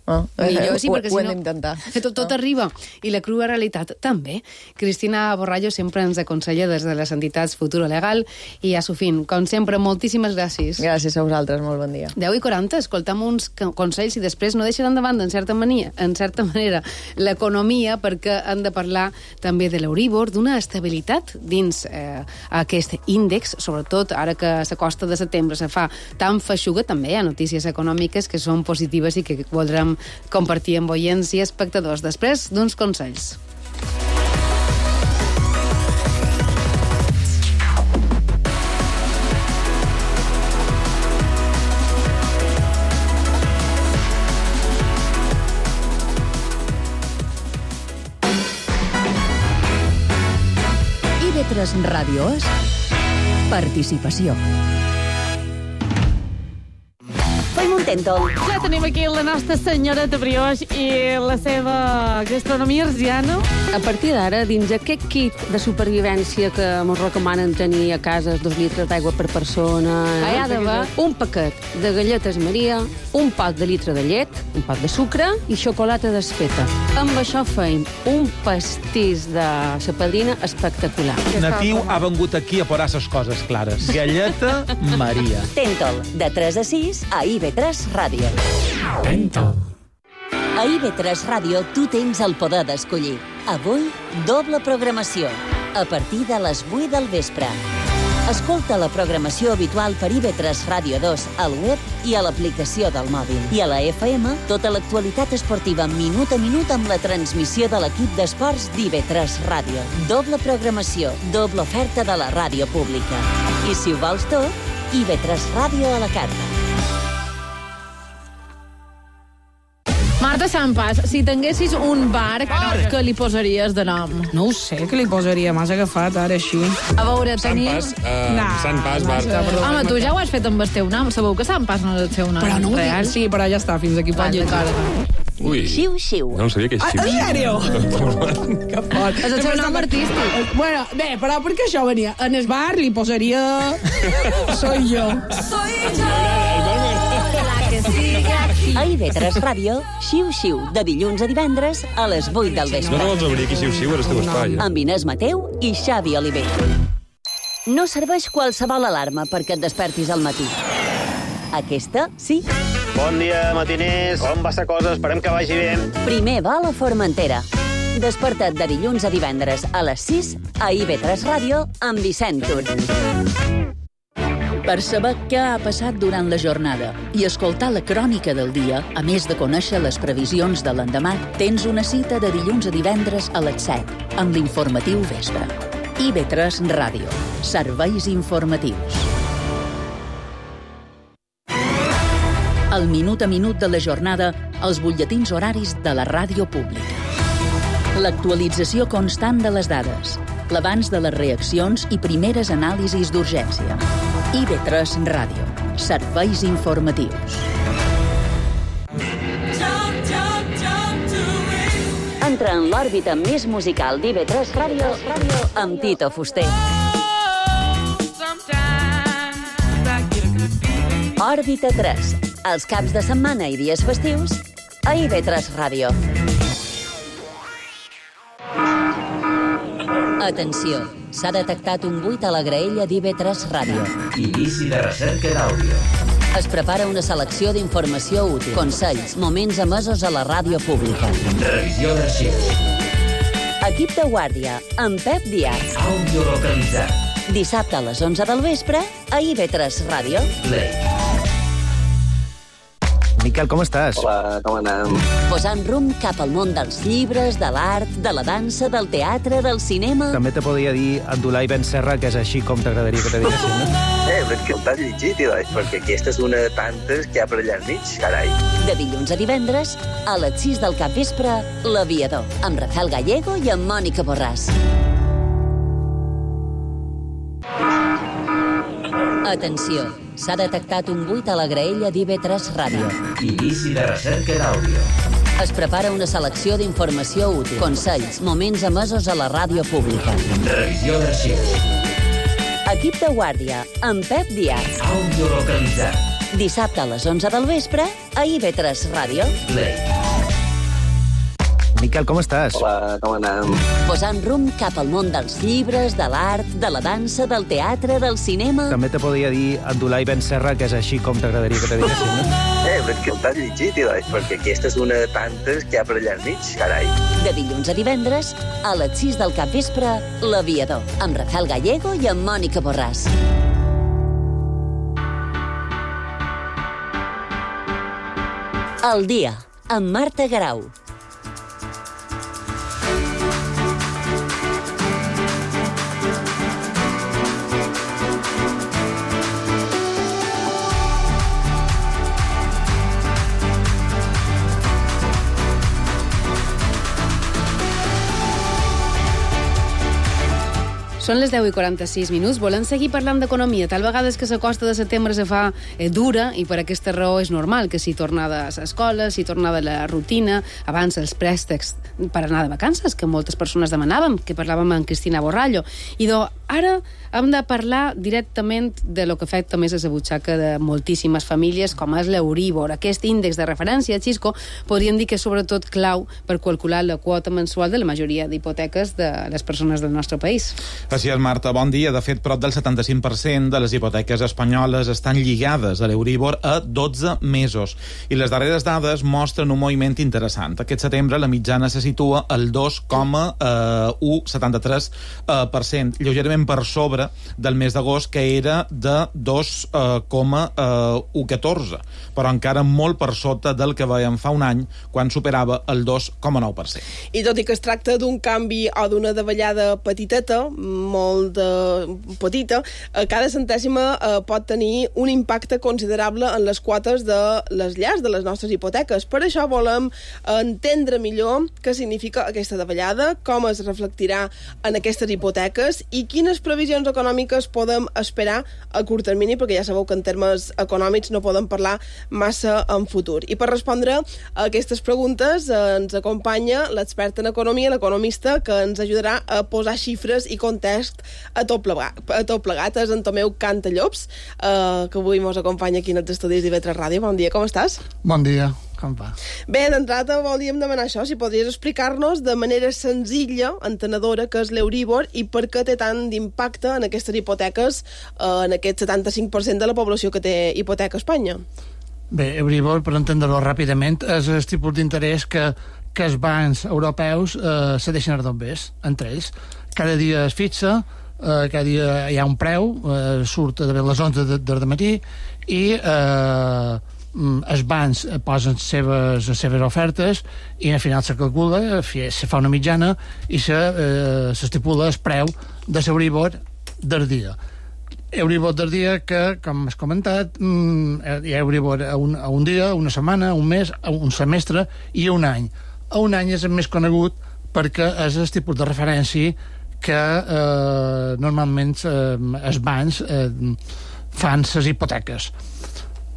Millor, sí, perquè ho hem d'intentar. Tot arriba. I la crua realitat també. Cristina Borrallo sempre ens aconsella des de les entitats Futuro Legal i a Sofín. Com sempre, moltíssimes gràcies. Gràcies a vosaltres, molt bon dia. 10:40, escoltam uns consells i després no deixaran de banda, en certa manera, l'economia, perquè han de parlar també de l'Euribor, d'una estabilitat dins aquest índex, sobretot ara que s'acosta de setembre, se fa tan feixuga. També hi ha notícies econòmiques que són positives i que voldrem compartir amb oients i espectadors després d'uns consells. IB3 Ràdio és participació. Tentol. Ja tenim aquí la nostra senyoreta Brioix i la seva gastronomia arsiana. A partir d'ara, dins aquest kit de supervivència que ens recomanen tenir a casa 2 litres d'aigua per persona, hi ha d'haver un paquet de galletes Maria, un pot de litre de llet, un pot de sucre i xocolata desfeta. Amb això feim un pastís de la padrina espectacular. Natiu ha vengut aquí a posar les coses clares. Galleta Maria. Tentol, de 3 a 6 a IB3 Ràdio. Tentol. A IB3 Ràdio tu tens el poder d'escollir. Avui, doble programació, a partir de les 8 del vespre. Escolta la programació habitual per IB3 Ràdio 2 al web i a l'aplicació del mòbil. I a la FM, tota l'actualitat esportiva minut a minut amb la transmissió de l'equip d'esports d'IB3 Ràdio. Doble programació, doble oferta de la ràdio pública. I si ho vols tot, IB3 Ràdio a la carta. Marta Sampas, si tinguessis un bar, què li posaries de nom? No ho sé, què li posaria? M'has agafat ara així. A veure, tenim... Sant Pas, Marta. Home, tu ja ho has fet amb el teu nom. Sabeu que Sant Pas no és el seu nom Però no ho real? dic. Sí, però ja està, fins aquí pot llegir. Ui, Xiu-xiu. no sabia que és xiu. En sèrio? Que fort. És el seu nom artístic. Bueno, bé, però perquè això venia. En el bar li posaria... Soy yo. A IB3 Ràdio, Xiu-xiu, de dilluns a divendres a les 8 del vespre. No vols obrir aquí xiu-xiu, és el teu espai. Amb Inés Mateu i Xavi Oliver. No serveix qualsevol alarma perquè et despertis al matí. Aquesta, sí. Bon dia, matiners. Com va la cosa? Esperem que vagi bé. Primer va a la Formentera. Desperta't de dilluns a divendres a les 6 a IB3 Ràdio amb Vicent Tur. Per saber què ha passat durant la jornada i escoltar la crònica del dia, a més de conèixer les previsions de l'endemà, tens una cita de dilluns a divendres a les 7 amb l'informatiu vespre. IB3 Ràdio. Serveis informatius. El minut a minut de la jornada, els butlletins horaris de la ràdio pública. L'actualització constant de les dades, l'abans de les reaccions i primeres anàlisis d'urgència. IB3 Ràdio. Serveis informatius. Entra en l'òrbita més musical d'IB3 Ràdio amb Tito Fuster. Òrbita 3. Els caps de setmana i dies festius a IB3 Ràdio. Atenció, s'ha detectat un buit a la graella d'IB3 Ràdio. Inici de recerca d'àudio. Es prepara una selecció d'informació útil, consells, moments emesos a la ràdio pública. Revisió d'arxius. Equip de guàrdia, amb Pep Díaz. Àudio localitzat. Dissabte a les 11 del vespre a IB3 Ràdio. Play. Miquel, com estàs? Hola, com anem? Posant rumb cap al món dels llibres, de l'art, de la dansa, del teatre, del cinema... També te podria dir Abdulai Ben Serra, que és així com t'agradaria que te diguessin, no? Però que t'has llegit, perquè aquesta és una de tantes que hi ha per allà enmig, carai. De dilluns a divendres, a les 6 del capvespre, L'Aviador, amb Rafael Gallego i amb Mònica Borràs. Atenció, s'ha detectat un buit a la graella d'IB3 Ràdio. Inici de recerca d'àudio. Es prepara una selecció d'informació útil, consells, moments emesos a la ràdio pública. Revisió d'arxius. Equip de guàrdia, amb Pep Díaz. Àudio localitzat. Dissabte a les 11 del vespre a IB3 Ràdio. Play. Miquel, com estàs? Hola, com anem? Posant rumb cap al món dels llibres, de l'art, de la dansa, del teatre, del cinema... També te podria dir Abdulai Ben Serra, que és així com t'agradaria que te diguessin, no? Però que t'has llegit, perquè aquesta és una de tantes que hi ha per allà enmig, carai. De dilluns a divendres, a les 6 del capvespre, L'Aviador, amb Rafael Gallego i amb Mònica Borràs. El dia, amb Marta Garau. Són les 10:46. Volem seguir parlant d'economia. Tal vegades que la costa de setembre se fa dura i per aquesta raó és normal que si tornada a l'escola, si tornada a la rutina, abans els préstecs per anar de vacances, que moltes persones demanàvem, que parlàvem amb Cristina Borrallo. I ara hem de parlar directament de lo que afecta més a la butxaca de moltíssimes famílies, com és l'Euríbor. Aquest índex de referència, Xisco, podríem dir que és sobretot clau per calcular la quota mensual de la majoria d'hipoteques de les persones del nostre país. Així és, Marta, bon dia. De fet, prop del 75% de les hipoteques espanyoles estan lligades a l'Euríbor a 12 mesos. I les darreres dades mostren un moviment interessant. Aquest setembre la mitjana se situa al 2,173%, lleugerament per sobre del mes d'agost, que era de 2,114%, però encara molt per sota del que veiem fa un any, quan superava el 2,9%. I tot i que es tracta d'un canvi o d'una davallada petiteta, molt petita, cada centèsima pot tenir un impacte considerable en les quotes de les llars, de les nostres hipoteques. Per això volem entendre millor què significa aquesta davallada, com es reflectirà en aquestes hipoteques i quines previsions econòmiques podem esperar a curt termini, perquè ja sabeu que en termes econòmics no podem parlar massa en futur. I per respondre a aquestes preguntes ens acompanya l'expert en economia, l'economista, que ens ajudarà a posar xifres i context a tot plegat. És en Tomeu Cantallops, que avui ens acompanya aquí en els estudis d'IV3 Ràdio. Bon dia, com estàs? Bon dia, com va? Bé, d'entrada volíem demanar això, si podries explicar-nos de manera senzilla, entenedora, què és l'Euribor i per què té tant d'impacte en aquestes hipoteques, en aquest 75% de la població que té hipoteca a Espanya. Bé, Euribor, per entendre-ho ràpidament, és el tipus d'interès que els bancs europeus cedeixen als bombers, entre ells. Cada dia es fixa, cada dia hi ha un preu, surt a les 11 del matí i els bancs posen les seves ofertes i al final se calcula, se fa una mitjana i s'estipula el preu de l'Euribor del dia. Euribor del dia que, com has comentat, hi ha Euribor a un dia, una setmana, un mes, un semestre i un any. A un any és el més conegut perquè és el tipus de referència que normalment els bancs fan les hipoteques.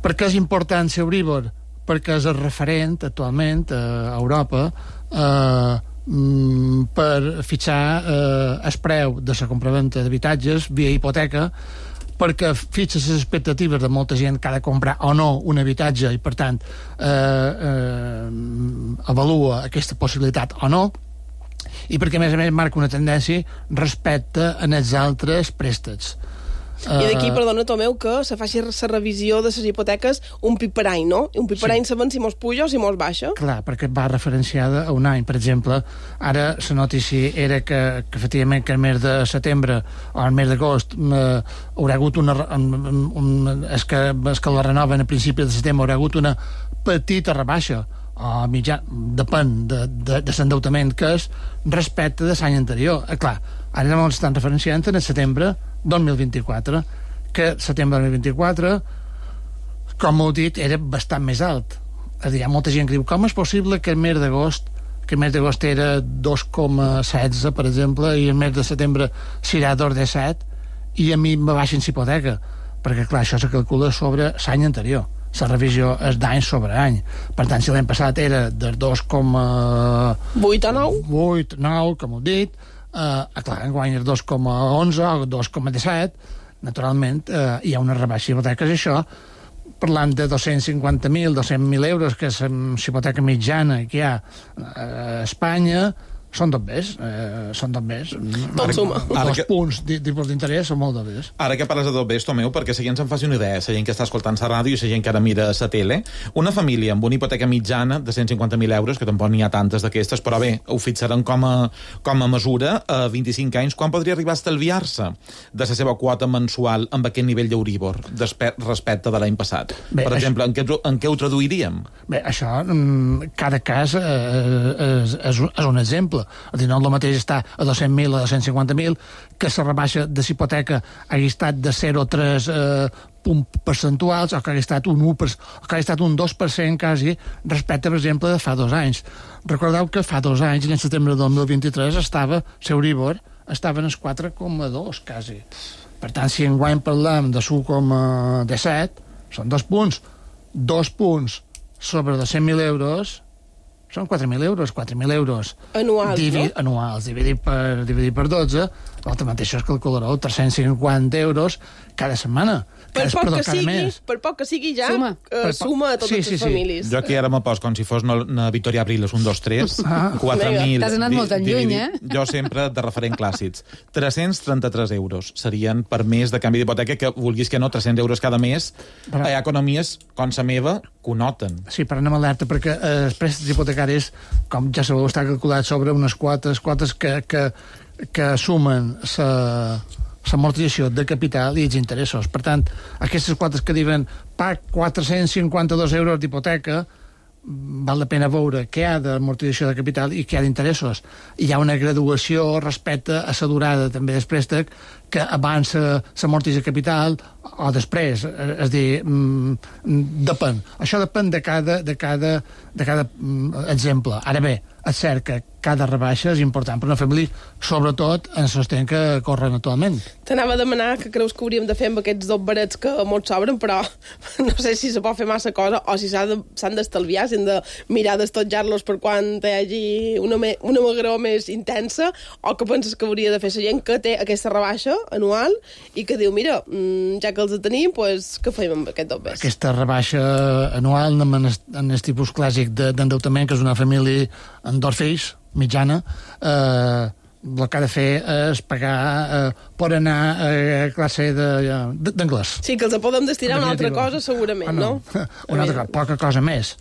Per què és important l'Euribor? Perquè és el referent actualment a Europa per fixar el preu de la compraventa d'habitatges via hipoteca, perquè fixa les expectatives de molta gent que ha de comprar o no un habitatge i, per tant, avalua aquesta possibilitat o no, i perquè, a més marca una tendència respecte a els altres préstecs. I d'aquí, perdona, Tomeu, que se faci la revisió de les hipoteques un pip per any, no? Un pip per any saben si mos puja o si mos baixa. Clar, perquè va referenciada a un any. Per exemple, ara la notícia era que efectivament que el mes de setembre o el mes d'agost haurà hagut és que la renoven a principi de setembre, haurà hagut una petita rebaixa o mitjà, depèn de l'endeutament que és respecte de l'any anterior. Clar, ara no estan referenciant en el setembre 2024, que setembre 2024, com heu dit, era bastant més alt. És a dir, hi ha molta gent que diu, com és possible que el mes d'agost era 2,16, per exemple, i el mes de setembre serà 2,17, i a mi me baixen l'hipoteca, perquè clar, això se calcula sobre l'any anterior. La revisió és d'any sobre any. Per tant, si l'any passat era de 2,8 a 9, 8, 9, com heu dit, clar, enguany és 2,11 o 2,17, naturalment hi ha una rebaixa hipoteques. Això, parlant de 250.000, 200.000 euros, que és la hipoteca mitjana que hi ha a Espanya, són tot bés. Tot suma. Els punts tipus d'interès són molt bés. Ara que parles de tot bés, Tomeu, perquè la gent se'n faci una idea, la gent que està escoltant la ràdio i la gent que ara mira la tele, una família amb una hipoteca mitjana de 150.000 euros, que tampoc n'hi ha tantes d'aquestes, però bé, ho fixaran com a mesura, a 25 anys, quan podria arribar a estalviar-se de la seva quota mensual amb aquest nivell d'Euribor respecte de l'any passat? Bé, per exemple, en què ho traduiríem? Bé, això, cada cas és un exemple. És a dir, no el mateix està a 200.000 o a 250.000 que la rebaixa de l'hipoteca hagi estat de 0,3 punts percentuals o que hagi estat un 1%, o que hagi estat un 2% quasi respecte, per exemple, de fa 2 anys. Recordeu que fa 2 anys, en setembre del 2023, l'Euribor estava en els 4,2 quasi. Per tant, si enguany parlem de 1,17, són 2 punts. 2 punts sobre 200.000 euros són 4.000 euros. 4.000 euros anuals, no? Anuals, dividit per 12, l'altre mateix es calcularà 350 euros cada setmana. Per poc que sigui ja suma a totes les famílies. Jo aquí ara me poso com si fos una Victoria Abriles, 1, 2, 3, 4.000... T'has anat molt lluny, Jo sempre de referent clàssics. 333 euros serien per mes de canvi d'hipoteca, que vulguis que no, 300 euros cada mes. Hi ha economies, com la meva, que ho noten. Sí, però anem alerta, perquè els préstecs hipotecaris, com ja sabeu, està calculat sobre unes quotes que sumen l'amortització de capital i els interessos. Per tant, aquestes quotes que diuen 452 euros d'hipoteca, val la pena veure què hi ha d'amortització de capital i què hi ha d'interessos. Hi ha una graduació respecte a la durada també del préstec, que abans s'amortitza capital o després, és a dir, depèn. Això depèn de cada exemple. Ara bé, és cert que cada rebaixa és important per una família, sobretot en els temps que corren actualment. T'anava a demanar que creus que hauríem de fer amb aquests 2 barets que molts s'obren, però no sé si se pot fer massa cosa o si s'han d'estalviar, si hem de mirar d'estotjar-los per quan hi hagi una magró més intensa, o que penses que hauria de fer la gent que té aquesta rebaixa anual i que diu, mira, ja que els tenim, pues, què fem amb aquest 2 barets? Aquesta rebaixa anual en el tipus clàssic d'endeutament, que és una família amb 2 fills, mitjana, el que ha de fer és pagar per anar a classe d'anglès. Sí, que els podem destinar a una altra cosa, segurament, no? Una altra cosa, poca cosa més.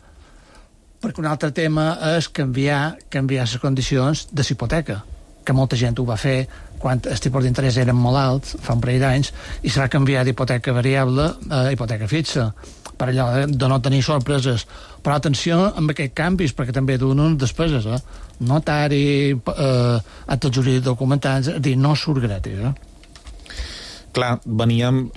Perquè un altre tema és canviar les condicions de l'hipoteca, que molta gent ho va fer quan els tipus d'interès eren molt alts, fa un parell d'anys, i s'ha canviat d'hipoteca variable a hipoteca fixa, per allò de no tenir sorpreses. Però atenció amb aquests canvis, perquè també donen despeses, notari, actes jurídics documentats, és a dir, no surt gratis. Clar, veníem,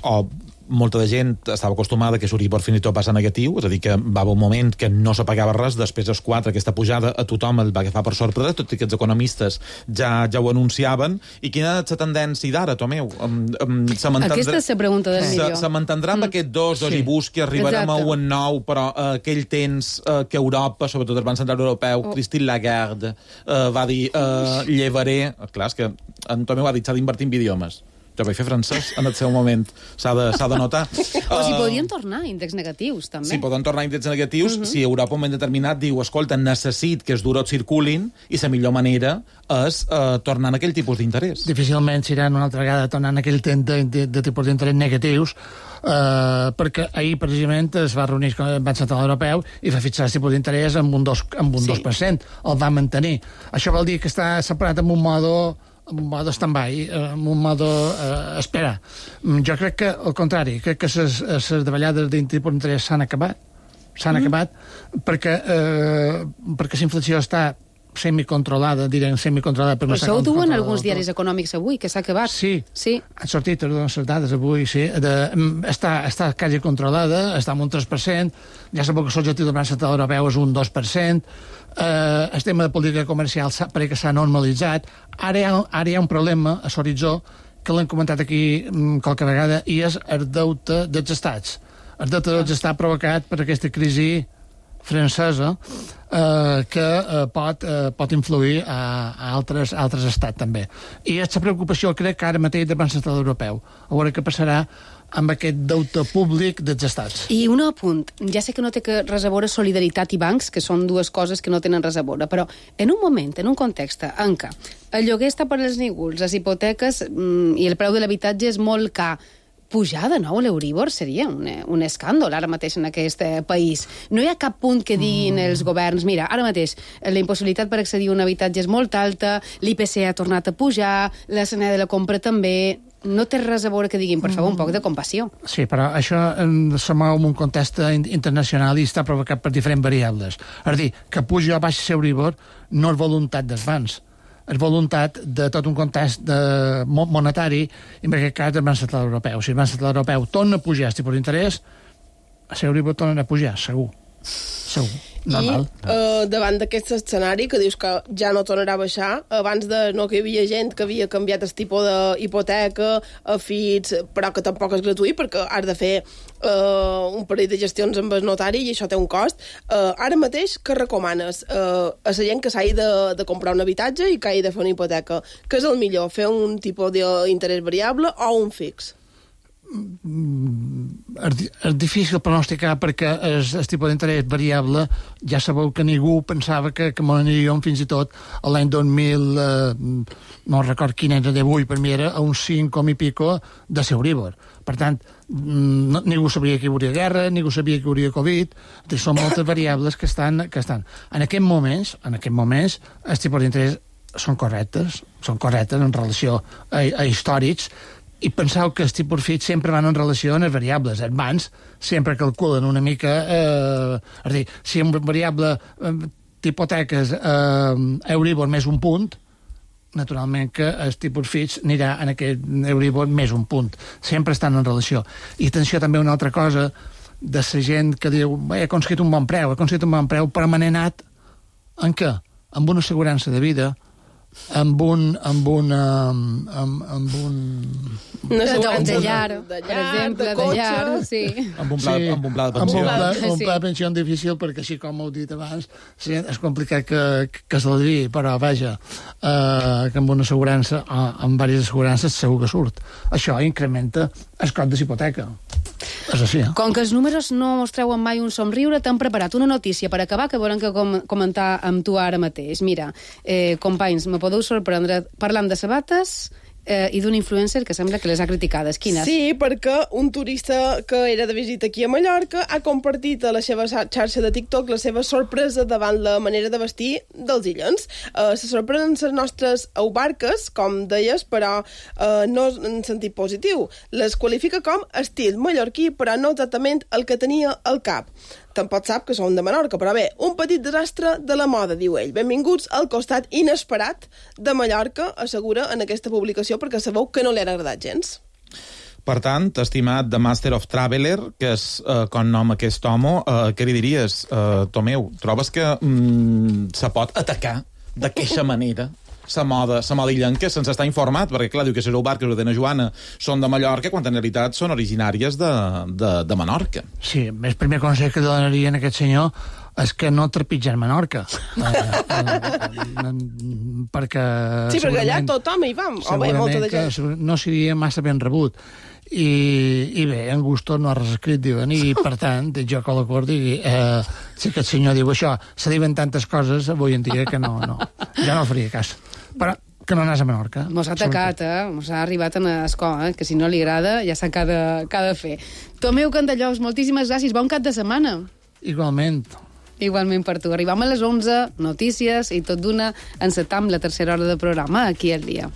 molta de gent estava acostumada que l'Euribor fins i tot passa negatiu, és a dir, que va haver un moment que no se pagava res, després dels 4, aquesta pujada a tothom el va agafar per sorpresa, tot i que els economistes ja ho anunciaven. I quina és la tendència d'ara, Tomeu? Aquesta és la pregunta del millor. Se mantendrà amb aquest 2 i busqui, arribarem a 1,9, però aquell temps que Europa, sobretot el Banc Central Europeu, Christine Lagarde, va dir llevaré... Clar, és que en Tomeu ha dit s'ha d'invertir en idiomes. Jo vaig fer francès en el seu moment, s'ha de notar. O si podrien tornar índexs negatius, també. Sí, poden tornar índexs negatius si Europa un moment determinat diu, escolta, necessit que els durot circulin i la millor manera és tornar en aquell tipus d'interès. Difícilment seran una altra vegada tornant en aquell temps de tipus d'interès negatius, perquè ahir precisament es va reunir amb el Banc Central Europeu i va fixar el tipus d'interès amb un 2%. El va mantenir. Això vol dir que està separat amb un modo stand-by, amb un modo espera. Jo crec que, al contrari, crec que les davallades tipus d'interès s'han acabat perquè la inflació està semicontrolada per no això ho diuen alguns diaris econòmics avui, que s'ha acabat. Sí. Han sortit les dades avui, sí. Està quasi controlada, està en un 3%, ja sabeu que l'objectiu del Banc Central Europeu és un 2%, el tema de política comercial perquè s'ha normalitzat. Ara hi ha un problema a l'horitzó, que l'hem comentat aquí qualque vegada, i és el deute dels estats. El deute dels estats provocat per aquesta crisi francesa que pot influir a altres estats també. I aquesta preocupació crec que ara mateix del Banc Central Europeu. A veure què passarà amb aquest deute públic dels estats. I un apunt, ja sé que no té res a veure solidaritat i bancs, que són dues coses que no tenen res a veure, però en un moment, en un context en què el lloguer està per els nígols, les hipoteques i el preu de l'habitatge és molt car, pujar de nou l'Euribor seria un escàndol ara mateix en aquest país. No hi ha cap punt que diguin els governs, mira, ara mateix la impossibilitat per accedir a un habitatge és molt alta, l'IPC ha tornat a pujar, la cena de la compra també... No té res a veure que diguin, per favor, un poc de compassió. Sí, però això se mou en un context internacional i està provocat per diferents variables. És a dir, que pugi o baixi l'Euribor no és voluntat dels bancs, és voluntat de tot un context monetari, i en aquest cas del Banc Central Europeu. Si el Banc Central Europeu torna a pujar el tipus d'interès, l'Euribor torna a pujar, segur. Normal. I davant d'aquest escenari que dius que ja no tornarà a baixar, abans que hi havia gent que havia canviat el tipus d'hipoteca a fits, però que tampoc és gratuït perquè has de fer un parell de gestions amb el notari i això té un cost. Ara mateix, què recomanes a la gent que s'hagi de comprar un habitatge i que hagi de fer una hipoteca? Què és el millor, fer un tipus d'interès variable o un fix? És difícil pronosticar perquè el tipus d'interès variable ja sabeu que ningú pensava que m'aniríem fins i tot l'any 2000 no record quin era d'avui, per mi era a uns 5 i pico de l'Euribor. Per tant, ningú sabia que hi hauria guerra, ningú sabia que hi hauria Covid, són moltes variables que estan. En aquests moments els tipus d'interès són correctes en relació a històrics, I penseu que els tipus fits sempre van en relació a les variables. Els bancs sempre calculen una mica... és a dir, si una variable d'hipoteques Euribor més un punt, naturalment que el tipus fits anirà en aquest Euribor més un punt. Sempre estan en relació. I atenció també a una altra cosa de la gent que diu he aconseguit un bon preu permanent en què? Amb una assegurança de vida, amb un de llar, per exemple, de llar, sí. Amb un pla de pensió. Un pla de pensió difícil, perquè així com heu dit abans, sí, és complicat que se l'advi, però vaja, que amb una assegurança, amb diverses assegurances, segur que surt. Això incrementa el cost de l'hipoteca. És així, Com que els números no us treuen mai un somriure, t'hem preparat una notícia per acabar que volem que comentar amb tu ara mateix. Mira, companys, me podeu sorprendre parlant de sabates i d'un influencer que sembla que les ha criticades. Quines? Sí, perquè un turista que era de visita aquí a Mallorca ha compartit a la seva xarxa de TikTok la seva sorpresa davant la manera de vestir dels illens. Se sorprenen les nostres aubarques, com deies, però no en sentit positiu. Les qualifica com estil mallorquí, però no exactament el que tenia al cap. Tampoc sap que són de Menorca, però bé, un petit desastre de la moda, diu ell. Benvinguts al costat inesperat de Mallorca, assegura en aquesta publicació, perquè sabeu que no li ha agradat gens. Per tant, estimat de Master of Traveler, que és com nom aquest home, què li diries, Tomeu? Trobes que se pot atacar d'aquesta manera la moda illenca sense estar informat? Perquè, clar, diu que les aubarques de Dena Joana són de Mallorca, quan en realitat són originàries de Menorca. Sí, el primer consell que donaria a aquest senyor és que no trepitgen Menorca. Perquè... Sí, perquè allà tothom hi va. No seria massa ben rebut. I bé, en Gusto no ha res escrit, diuen, i per tant, jo que l'acord digui, si aquest senyor diu això, se diuen tantes coses avui en dia que no, ja no faria cas. Però que no anàs a Menorca. Mos ha atacat, mos ha arribat a l'escola, que si no li agrada ja sap què ha de fer. Tomeu Candellols, moltíssimes gràcies, bon cap de setmana. Igualment. Igualment per tu. Arribam a les 11, notícies, i tot d'una encetam la tercera hora de programa aquí al dia.